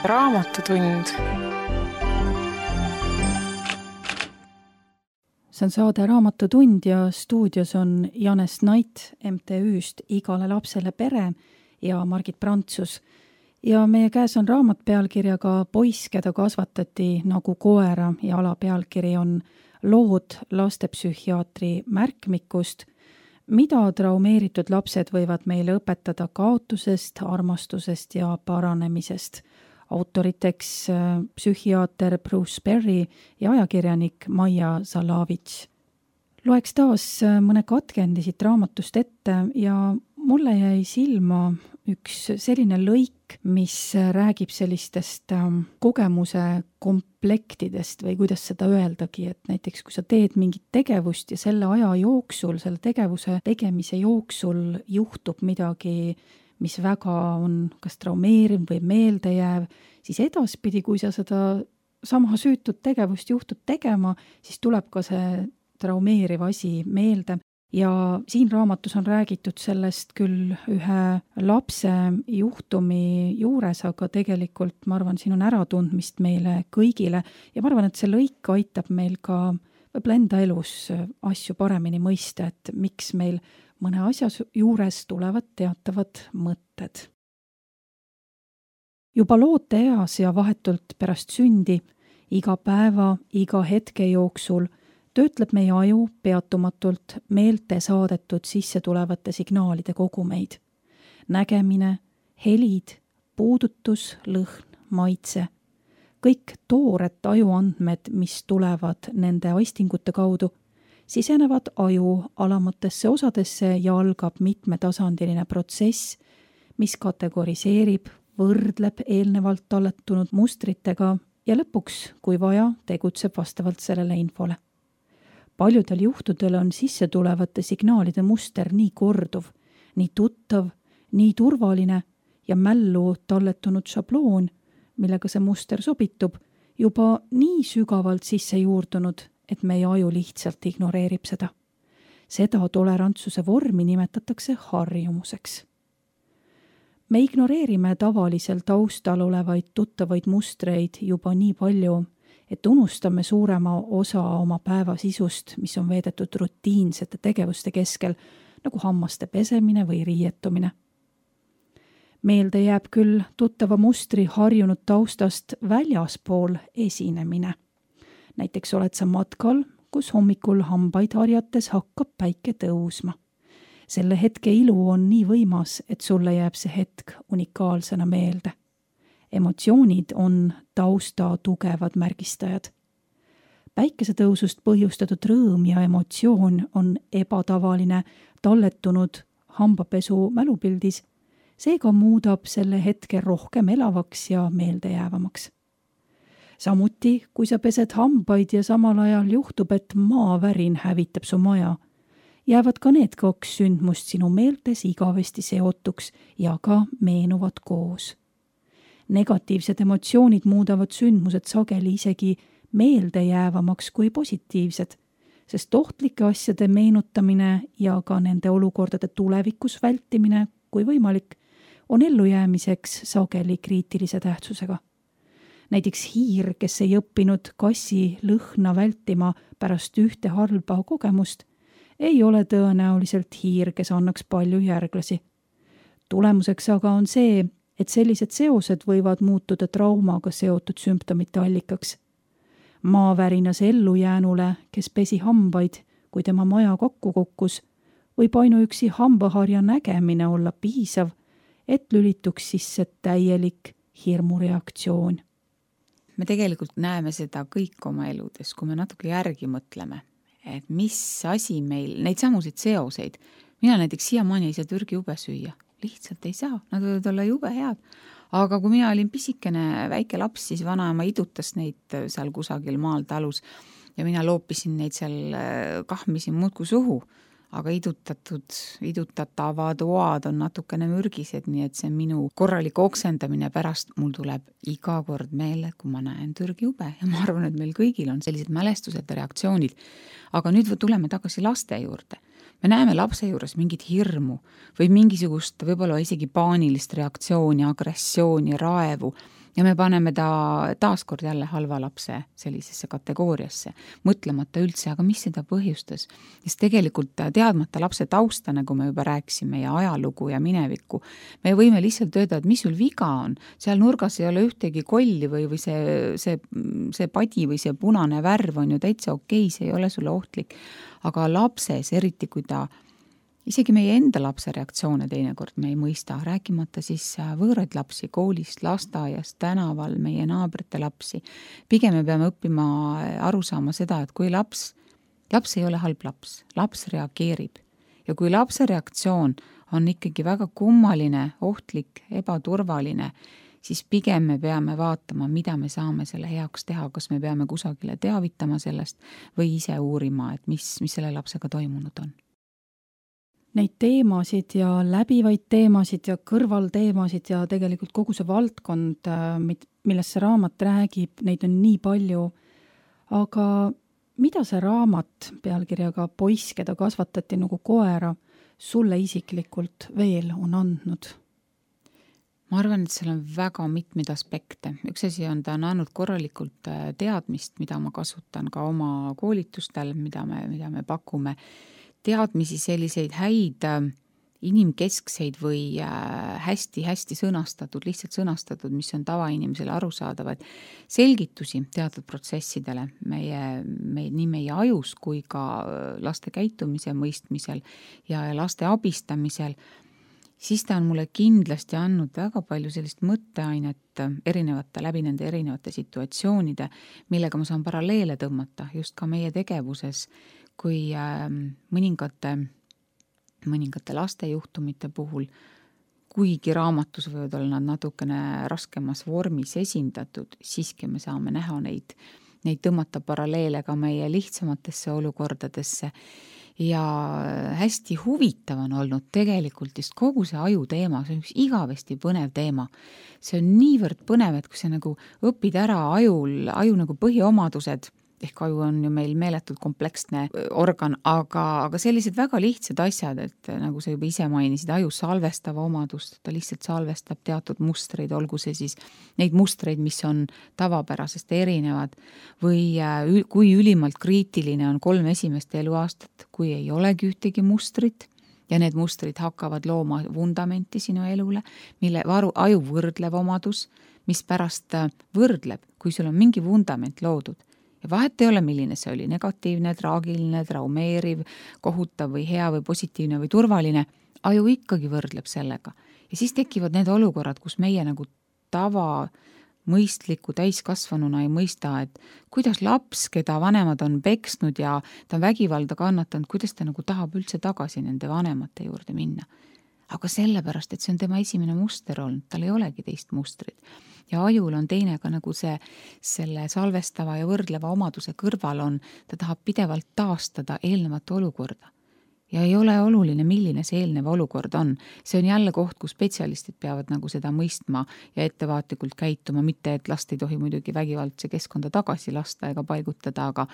Raamatutund. See on saade Raamatutund ja stuudios on Janes Nait M T Üst Igale lapsele pere ja Margit Prantsus. Ja meie käes on raamat pealkirjaga Poiss, keda kasvatati nagu koera ja alapealkiri on Lood lastepsühhiaatri märkmikust, mida traumeeritud lapsed võivad meile õpetada kaotusest, armastusest ja paranemisest. Autoriteks psühhiaater Bruce Perry ja ajakirjanik Maia Zalavitš. Loeks taas mõne katkendi siit raamatust ette ja mulle jäi silma üks selline lõik, mis räägib sellistest kogemuse komplektidest või kuidas seda öeldagi, et näiteks kui sa teed mingit tegevust ja selle aja jooksul, selle tegevuse tegemise jooksul juhtub midagi mis väga on kas traumeeriv või meeldejääv, siis edaspidi, kui sa seda sama süütut tegevust juhtud tegema, siis tuleb ka see traumeeriv asi meelde. Ja siin raamatus on räägitud sellest küll ühe lapse juhtumi juures, aga tegelikult ma arvan, siin on äratundmist meile kõigile ja ma arvan, et see lõik aitab meil ka võib-olla enda elus asju paremini mõista, et miks meil mõne asja juures tulevad teatavad mõtted. Juba looteeas ja vahetult pärast sündi, iga päeva, iga hetke jooksul töötleb meie aju peatumatult meelte saadetud sisse tulevate signaalide kogumeid. Nägemine, helid, puudutus, lõhn, maitse. Kõik toored ajuandmed, mis tulevad nende aistingute kaudu, sisenevad aju alamatesse osadesse ja algab mitmetasandiline protsess, mis kategoriseerib, võrdleb eelnevalt talletunud mustritega ja lõpuks, kui vaja, tegutseb vastavalt sellele infole. Paljudel juhtudel on sisse tulevate signaalide muster nii korduv, nii tuttav, nii turvaline ja mällu talletunud šabloon, millega see muster sobitub, juba nii sügavalt sisse juurdunud, et meie aju lihtsalt ignoreerib seda. Seda tolerantsuse vormi nimetatakse harjumuseks. Me ignoreerime tavalisel taustal olevaid tuttavaid mustreid juba nii palju, et unustame suurema osa oma päeva sisust, mis on veedetud rutiinsete tegevuste keskel, nagu hammaste pesemine või riietumine. Meelde jääb küll tuttava mustri harjunud taustast väljaspool esinemine. Näiteks oled sa matkal, kus hommikul hambaid harjates hakkab päike tõusma. Selle hetke ilu on nii võimas, et sulle jääb see hetk unikaalsena meelde. Emotsioonid on tausta tugevad märgistajad. Päikesetõusust põhjustatud rõõm ja emotsioon on ebatavaline talletunud hambapesu mälupildis, seega muudab selle hetke rohkem elavaks ja meeldejäävamaks. Samuti, kui sa pesed hambaid ja samal ajal juhtub, et maavärin hävitab su maja, jäävad ka need kaks sündmust sinu meeltes igavesti seotuks ja ka meenuvad koos. Negatiivsed emotsioonid muudavad sündmused sageli isegi meeldejäävamaks kui positiivsed, sest ohtlike asjade meenutamine ja ka nende olukordade tulevikus vältimine, kui võimalik, on ellujäämiseks sageli kriitilise tähtsusega. Näiteks hiir, kes ei õppinud kassi lõhna vältima pärast ühte halba kogemust, ei ole tõenäoliselt hiir, kes annaks palju järglasi. Tulemuseks aga on see, et sellised seosed võivad muutuda traumaga seotud sümptomite allikaks. Maavärinas ellujäänule, kes pesi hambaid, kui tema maja kokku kukkus, võib ainuüksi hambaharja nägemine olla piisav, et lülituks sisse täielik hirmureaktsioon. Me tegelikult näeme seda kõik oma eludes, kui me natuke järgi mõtleme, et mis asi meil, neid samusid seoseid. Mina näiteks siiamaani ei saa Türgi ube süüa. Lihtsalt ei saa, nad võivad olla jube head. Aga kui mina olin pisikene väike laps, siis vanaema idutas neid seal kusagil maal talus ja mina loopisin neid seal kahmisin muudku suhu. Aga idutatud, idutatavad oad on natukene mürgised, nii et see minu korralik oksendamine pärast mul tuleb iga kord meele, kui ma näen Türgi ube. Ja ma arvan, et meil kõigil on sellised mälestused ja reaktsioonid. Aga nüüd tuleme tagasi laste juurde. Me näeme lapse juures mingit hirmu või mingisugust võib-olla isegi paanilist reaktsiooni, agressiooni, raevu ja me paneme ta taaskord jälle halva lapse sellisesse kategooriasse, mõtlemata üldse, aga mis seda põhjustas. Sest tegelikult teadmata lapse tausta, nagu me juba rääksime, ja ajalugu ja minevikku, me võime lihtsalt öelda, et mis sul viga on. Seal nurgas ei ole ühtegi kolli või, või see, see, see padi või see punane värv on ju täitsa okei, see ei ole sulle ohtlik. Aga lapses, eriti kui ta, isegi meie enda lapse reaktsioone teinekord me ei mõista, rääkimata siis võõraid lapsi koolist, lasteaiast, tänaval, meie naabrite lapsi. Pigem me peame õppima aru saama seda, et kui laps, laps ei ole halb laps, laps reageerib. Ja kui lapse reaktsioon on ikkagi väga kummaline, ohtlik, ebaturvaline, siis pigem me peame vaatama, mida me saame selle heaks teha, kas me peame kusagile teavitama sellest või ise uurima, et mis, mis selle lapsega toimunud on. Neid teemasid ja läbivaid teemasid ja kõrvalteemasid ja tegelikult kogu see valdkond, millest see raamat räägib, neid on nii palju. Aga mida see raamat pealkirjaga Poiss, keda kasvatati nagu koera, sulle isiklikult veel on andnud? Ma arvan, et seal on väga mitmeid aspekte. Üks asi on, ta on andnud korralikult teadmist, mida ma kasutan ka oma koolitustel, mida me, mida me pakume. Teadmisi selliseid häid inimkeskseid või hästi-hästi sõnastatud, lihtsalt sõnastatud, mis on tavainimesele arusaadavad selgitusi teatud protsessidele meie, meie, nii meie ajus kui ka laste käitumise mõistmisel ja laste abistamisel, siis ta on mulle kindlasti andnud väga palju sellist mõtteainet erinevate, läbi nende erinevate situatsioonide, millega ma saan paralleele tõmmata just ka meie tegevuses, kui mõningate mõningate laste juhtumite puhul, kuigi raamatus võivad olla nad natukene raskemas vormis esindatud, siiski me saame näha neid, neid tõmmata paralleele ka meie lihtsamatesse olukordadesse. Ja hästi huvitav on olnud tegelikult just kogu see aju teema, see on üks igavesti põnev teema. See on niivõrd põnev, et kui sa nagu õpid ära ajul, aju nagu põhiomadused, ehk aju on ju meil meeletult kompleksne organ, aga, aga sellised väga lihtsad asjad, et nagu sa juba ise mainisid, aju salvestava omadust, ta lihtsalt salvestab teatud mustreid, olgu see siis neid mustreid, mis on tavapärasest erinevad, või kui ülimalt kriitiline on kolm esimest eluaastat, kui ei olegi ühtegi mustrit, ja need mustrid hakkavad looma vundamenti sinu elule, mille varu, aju võrdlev omadus, mis pärast võrdleb, kui sul on mingi vundament loodud. Ja vahet ei ole, milline see oli, negatiivne, traagiline, traumeeriv, kohutav või hea või positiivne või turvaline, aju ikkagi võrdleb sellega. Ja siis tekivad need olukorrad, kus meie nagu tava mõistliku täiskasvanuna ei mõista, et kuidas laps, keda vanemad on peksnud ja ta on vägivalda kannatanud, kuidas ta nagu tahab üldse tagasi nende vanemate juurde minna. Aga sellepärast, et see on tema esimene muster olnud, tal ei olegi teist mustrit. Ja ajul on teine ka nagu see, selle salvestava ja võrdleva omaduse kõrval on, ta tahab pidevalt taastada eelnevat olukorda. Ja ei ole oluline, milline see eelnev olukord on. See on jälle koht, kus spetsialistid peavad nagu seda mõistma ja ettevaatlikult käituma, mitte et last ei tohi muidugi vägivaldse keskkonda tagasi lasta ega paigutada, aga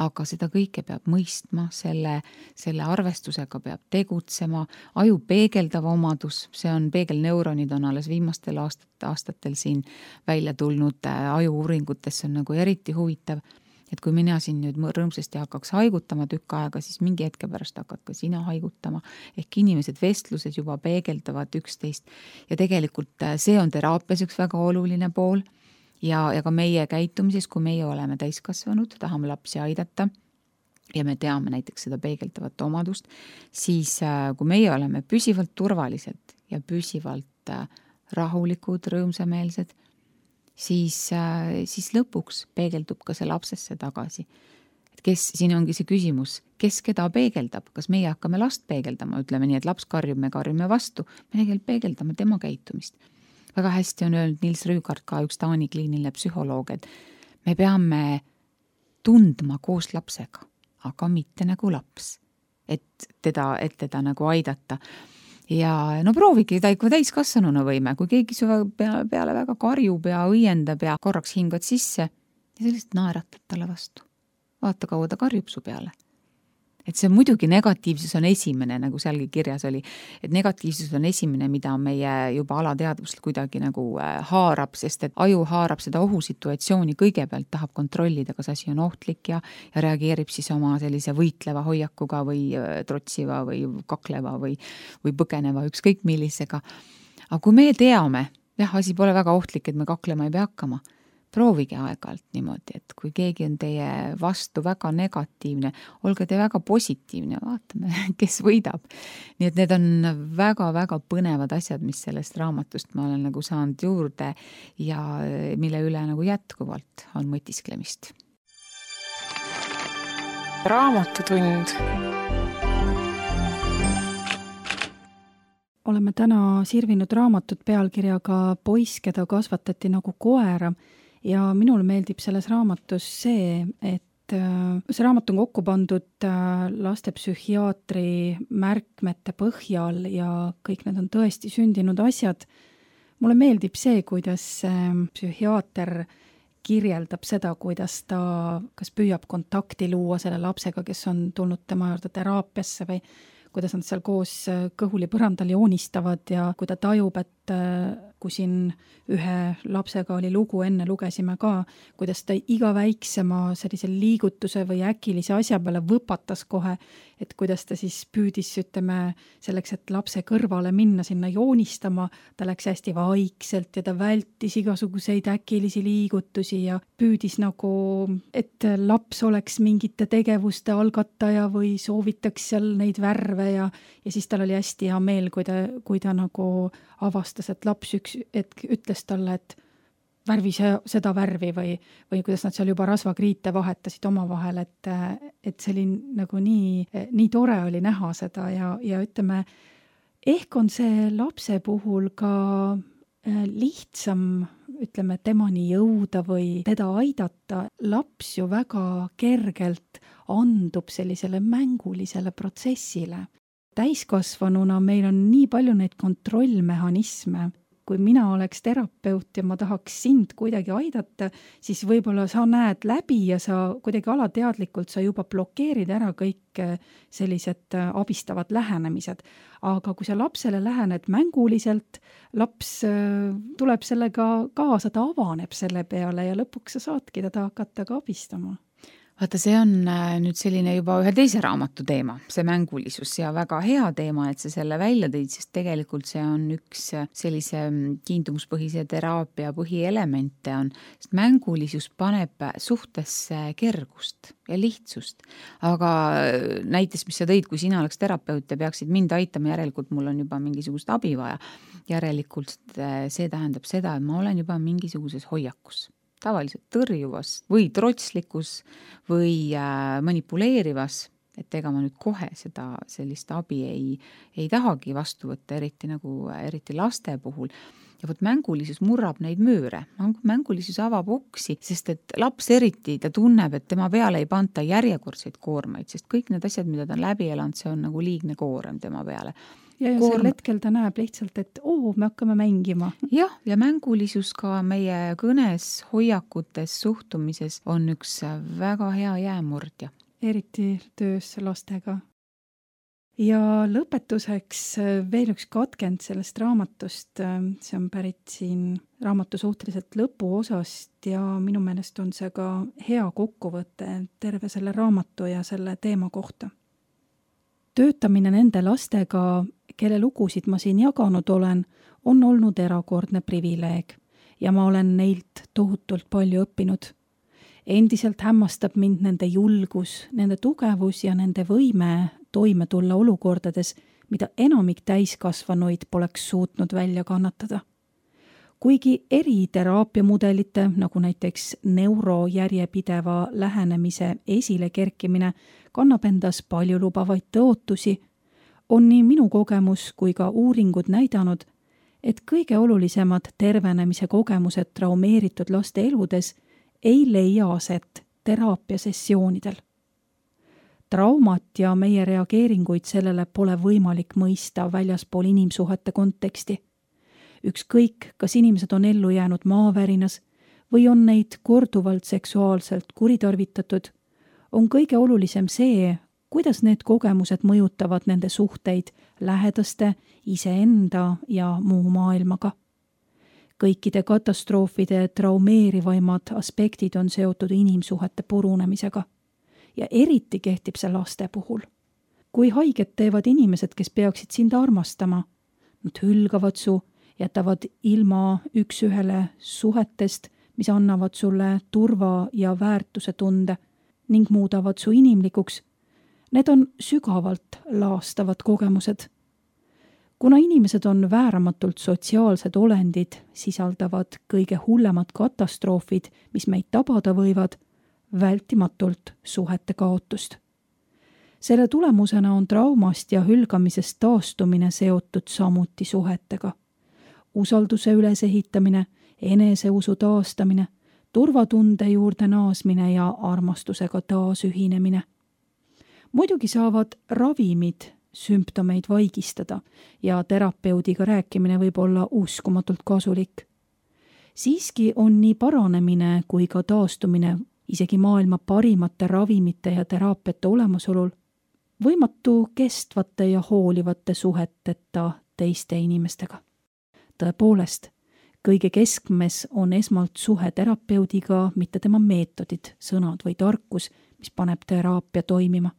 aga seda kõike peab mõistma, selle, selle arvestusega peab tegutsema, aju peegeldav omadus, see on peegelneuronid on alles viimastel aastat, aastatel siin välja tulnud aju-uuringutes, see on nagu eriti huvitav, et kui mina siin nüüd rõõmsasti hakkaks haigutama tükk aega, siis mingi hetke pärast hakkad ka sina haigutama, ehk inimesed vestlused juba peegeldavad üksteist ja tegelikult see on teraapias üks väga oluline pool. Ja, ja ka meie käitumises, kui meie oleme täiskasvanud, tahame lapsi aidata ja me teame näiteks seda peegeldavat omadust, siis kui meie oleme püsivalt turvalised ja püsivalt rahulikud, rõõmsameelsed, siis, siis lõpuks peegeldub ka see lapsesse tagasi. Et kes, siin ongi see küsimus, kes keda peegeldab, kas meie hakkame last peegeldama, ütleme nii, et laps karjub, me karjume vastu, me tegelikult peegeldame tema käitumist. Väga hästi on öelnud Nils Rüügart, ka üks Taani kliiniline psühholoog, et me peame tundma koos lapsega, aga mitte nagu laps, et teda, et teda nagu aidata. Ja no proovigi ta ikka täiskasvanuna võime, kui keegi su peale väga karjub ja õiendab ja korraks hingad sisse ja sellist naeratad talle vastu. Vaata, kaua ta karjub su peale. Et see muidugi negatiivsus on esimene, nagu sealgi kirjas oli, et negatiivsus on esimene, mida meie juba alateadvust kuidagi nagu haarab, sest et aju haarab seda ohusituatsiooni kõigepealt, tahab kontrollida, kas asi on ohtlik ja, ja reageerib siis oma sellise võitleva hoiakuga või trotsiva või kakleva või, või põgeneva ükskõik millisega. Aga kui me teame, jah, asi pole väga ohtlik, et me kaklema ei pea hakkama, proovige aeg-ajalt niimoodi, et kui keegi on teie vastu väga negatiivne, olge te väga positiivne, vaatame, kes võidab. Nii et need on väga-väga põnevad asjad, mis sellest raamatust ma olen nagu saanud juurde ja mille üle nagu jätkuvalt on mõtisklemist. Raamatutund. Oleme täna sirvinud raamatut pealkirjaga Poiss, keda kasvatati nagu koera. Ja minul meeldib selles raamatus see, et see raamat on kokku pandud lastepsühhiaatri märkmete põhjal ja kõik need on tõesti sündinud asjad. Mulle meeldib see, kuidas psühhiaater kirjeldab seda, kuidas ta kas püüab kontakti luua selle lapsega, kes on tulnud tema juurde teraapiasse või kuidas nad seal koos kõhuli põrandal joonistavad ja kui ta tajub, et kui siin ühe lapsega oli lugu, enne lugesime ka, kuidas ta iga väiksema sellise liigutuse või äkilise asja peale võpatas kohe, et kuidas ta siis püüdis, ütleme, selleks, et lapse kõrvale minna sinna joonistama, ta läks hästi vaikselt ja ta vältis igasuguseid äkilisi liigutusi ja püüdis nagu, et laps oleks mingite tegevuste algataja või soovitaks seal neid värve ja, ja siis tal oli hästi hea meel, kui ta, kui ta nagu avastas, et laps üks hetk ütles talle, et värvi seda värvi või, või kuidas nad seal juba rasvakriite vahetasid omavahel, et, et see oli nagu nii, nii tore oli näha seda ja, ja ütleme, ehk on see lapse puhul ka lihtsam, ütleme, temani jõuda või teda aidata. Laps ju väga kergelt andub sellisele mängulisele protsessile. Täiskasvanuna meil on nii palju neid kontrollmehhanisme. Kui mina oleks terapeut ja ma tahaks sind kuidagi aidata, siis võib-olla sa näed läbi ja sa kuidagi alateadlikult sa juba blokeerid ära kõik sellised abistavad lähenemised. Aga kui sa lapsele lähened mänguliselt, laps tuleb sellega kaasa, ta avaneb selle peale ja lõpuks sa saadki teda hakata ka abistama. Vaata, see on nüüd selline juba ühe teise raamatu teema, see mängulisus ja väga hea teema, et see selle välja tõid, sest tegelikult see on üks sellise kiindumuspõhise teraapia põhielemente on, sest mängulisus paneb suhtesse kergust ja lihtsust. Aga näites, mis sa tõid, kui sina oleks terapeut ja peaksid mind aitama, järelikult mul on juba mingisugust abi vaja. Järelikult see tähendab seda, et ma olen juba mingisuguses hoiakus. Tavaliselt tõrjuvas või trotslikus või manipuleerivas, et ega ma nüüd kohe seda sellist abi ei, ei tahagi vastu võtta, eriti, nagu, eriti laste puhul. Ja võt mängulisus murrab neid mööre. Mängulisus avab uksi, sest et laps eriti ta tunneb, et tema peale ei panta järjekordseid koormaid, sest kõik need asjad, mida ta on läbi elanud, see on nagu liigne koorem tema peale. Ja, ja Koorm... sel hetkel ta näeb lihtsalt, et oo, me hakkame mängima. Jah, ja mängulisus ka meie kõnes, hoiakutes, suhtumises on üks väga hea jäämurdja. Eriti töös lastega. Ja lõpetuseks veel üks katkend sellest raamatust, see on pärit siin raamatu suhteliselt lõpuosast ja minu meelest on see ka hea kokkuvõte terve selle raamatu ja selle teema kohta. Töötamine nende lastega, kelle lugusid ma siin jaganud olen, on olnud erakordne privileeg ja ma olen neilt tohutult palju õppinud. Endiselt hämmastab mind nende julgus, nende tugevus ja nende võime toime tulla olukordades, mida enamik täiskasvanuid poleks suutnud välja kannatada. Kuigi eri teraapiamudelite, nagu näiteks neurojärjepideva lähenemise esile kerkimine, kannab endas palju lubavaid tõotusi, on nii minu kogemus kui ka uuringud näidanud, et kõige olulisemad tervenemise kogemused traumeeritud laste eludes ei leia aset teraapiasessioonidel. Traumat ja meie reageeringuid sellele pole võimalik mõista väljaspool inimsuhete konteksti. Ükskõik, kas inimesed on ellu jäänud maavärinas või on neid korduvalt seksuaalselt kuritarvitatud, on kõige olulisem see, kuidas need kogemused mõjutavad nende suhteid lähedaste, iseenda ja muu maailmaga. Kõikide katastroofide traumeerivaimad aspektid on seotud inimsuhete purunemisega ja eriti kehtib see laste puhul. Kui haiget teevad inimesed, kes peaksid sind armastama, nad hülgavad su, jätavad ilma üks ühele suhetest, mis annavad sulle turva ja väärtuse tunde ning muudavad su inimlikuks. Need on sügavalt laastavad kogemused. Kuna inimesed on vääramatult sotsiaalsed olendid, sisaldavad kõige hullemad katastroofid, mis meid tabada võivad, vältimatult suhete kaotust. Selle tulemusena on traumast ja hülgamisest taastumine seotud samuti suhetega. Usalduse ülesehitamine, eneseusu taastamine, turvatunde juurde naasmine ja armastusega taasühinemine. Muidugi saavad ravimid sümptomeid vaigistada ja terapeudiga rääkimine võib olla uskumatult kasulik. Siiski on nii paranemine kui ka taastumine isegi maailma parimate ravimite ja teraapiate olemasolul võimatu kestvate ja hoolivate suheteta teiste inimestega. Tõepoolest, kõige keskmes on esmalt suhe terapeudiga, mitte tema meetodid, sõnad või tarkus, mis paneb teraapia toimima.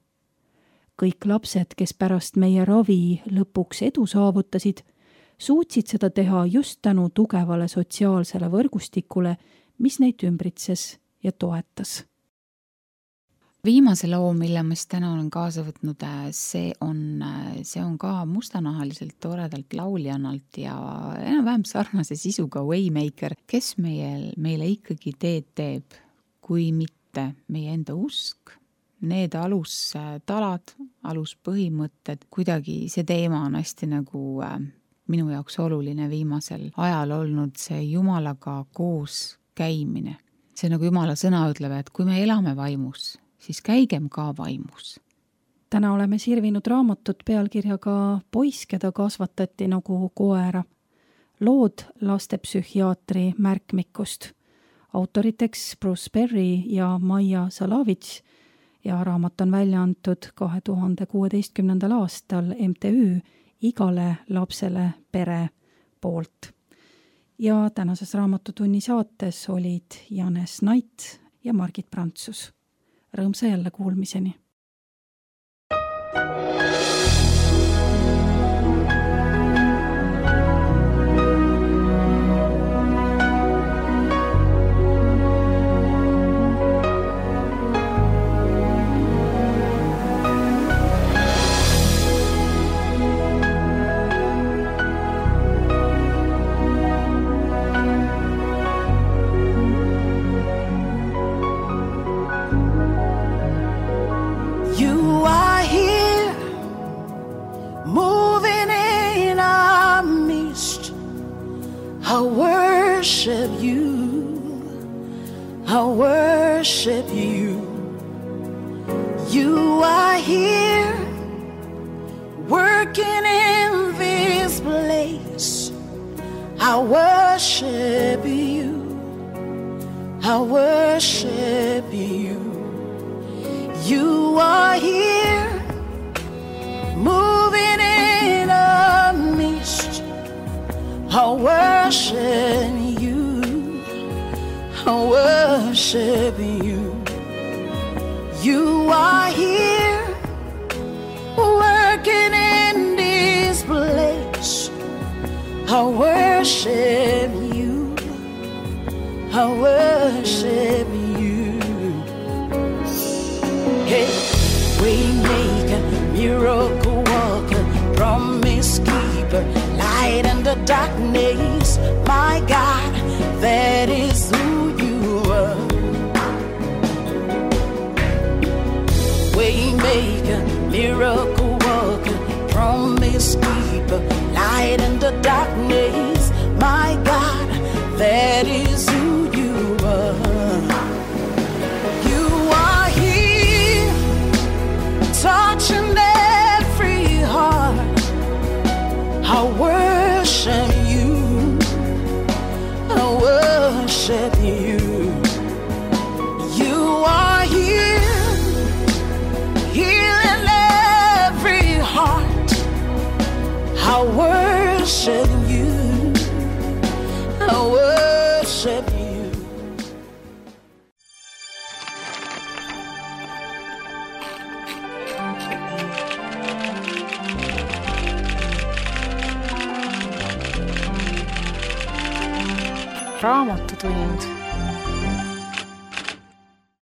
Kõik lapsed, kes pärast meie ravi lõpuks edu saavutasid, suutsid seda teha just tänu tugevale sotsiaalsele võrgustikule, mis neid ümbritses ja toetas. Viimase loo, mille ma siis täna olen kaasa võtnud, see on, see on ka mustanahaliselt toredalt lauljannalt ja enam-vähem sarnase sisuga Waymaker, kes meil, meile ikkagi teed teeb, kui mitte meie enda usk, need alustalad, aluspõhimõtted, kuidagi see teema on hästi nagu minu jaoks oluline viimasel ajal olnud see Jumalaga koos käimine. See nagu Jumala sõna ütleb, et kui me elame vaimus, siis käigem ka vaimus. Täna oleme sirvinud raamatut pealkirjaga Poiss, keda kasvatati nagu koera. Lood lastepsühhiaatri märkmikust. Autoriteks Bruce Perry ja Maia Salavitš ja raamat on välja antud kahe tuhande kuueteistkümnendal aastal M T Ü Igale lapsele pere poolt. Ja tänases raamatutunni saates olid Janes Nait ja Margit Prantsus. Rõõmsa jälle kuulmiseni. I worship you, I worship you. You are here, working in this place. I worship you, I worship you. You are here, moving in a mist. I worship you, I worship you. You are here, working in this place. I worship you, I worship you. Hey, waymaker, miracle worker, promise keeper, light in the darkness. My God, that is who you are. Waymaker, miracle worker, promise keeper, light in the darkness. My God, that is who you are. You are here, touching every heart. I worship you, I worship you. You are here, healing every heart. I worship you, I worship you. Raamatutund.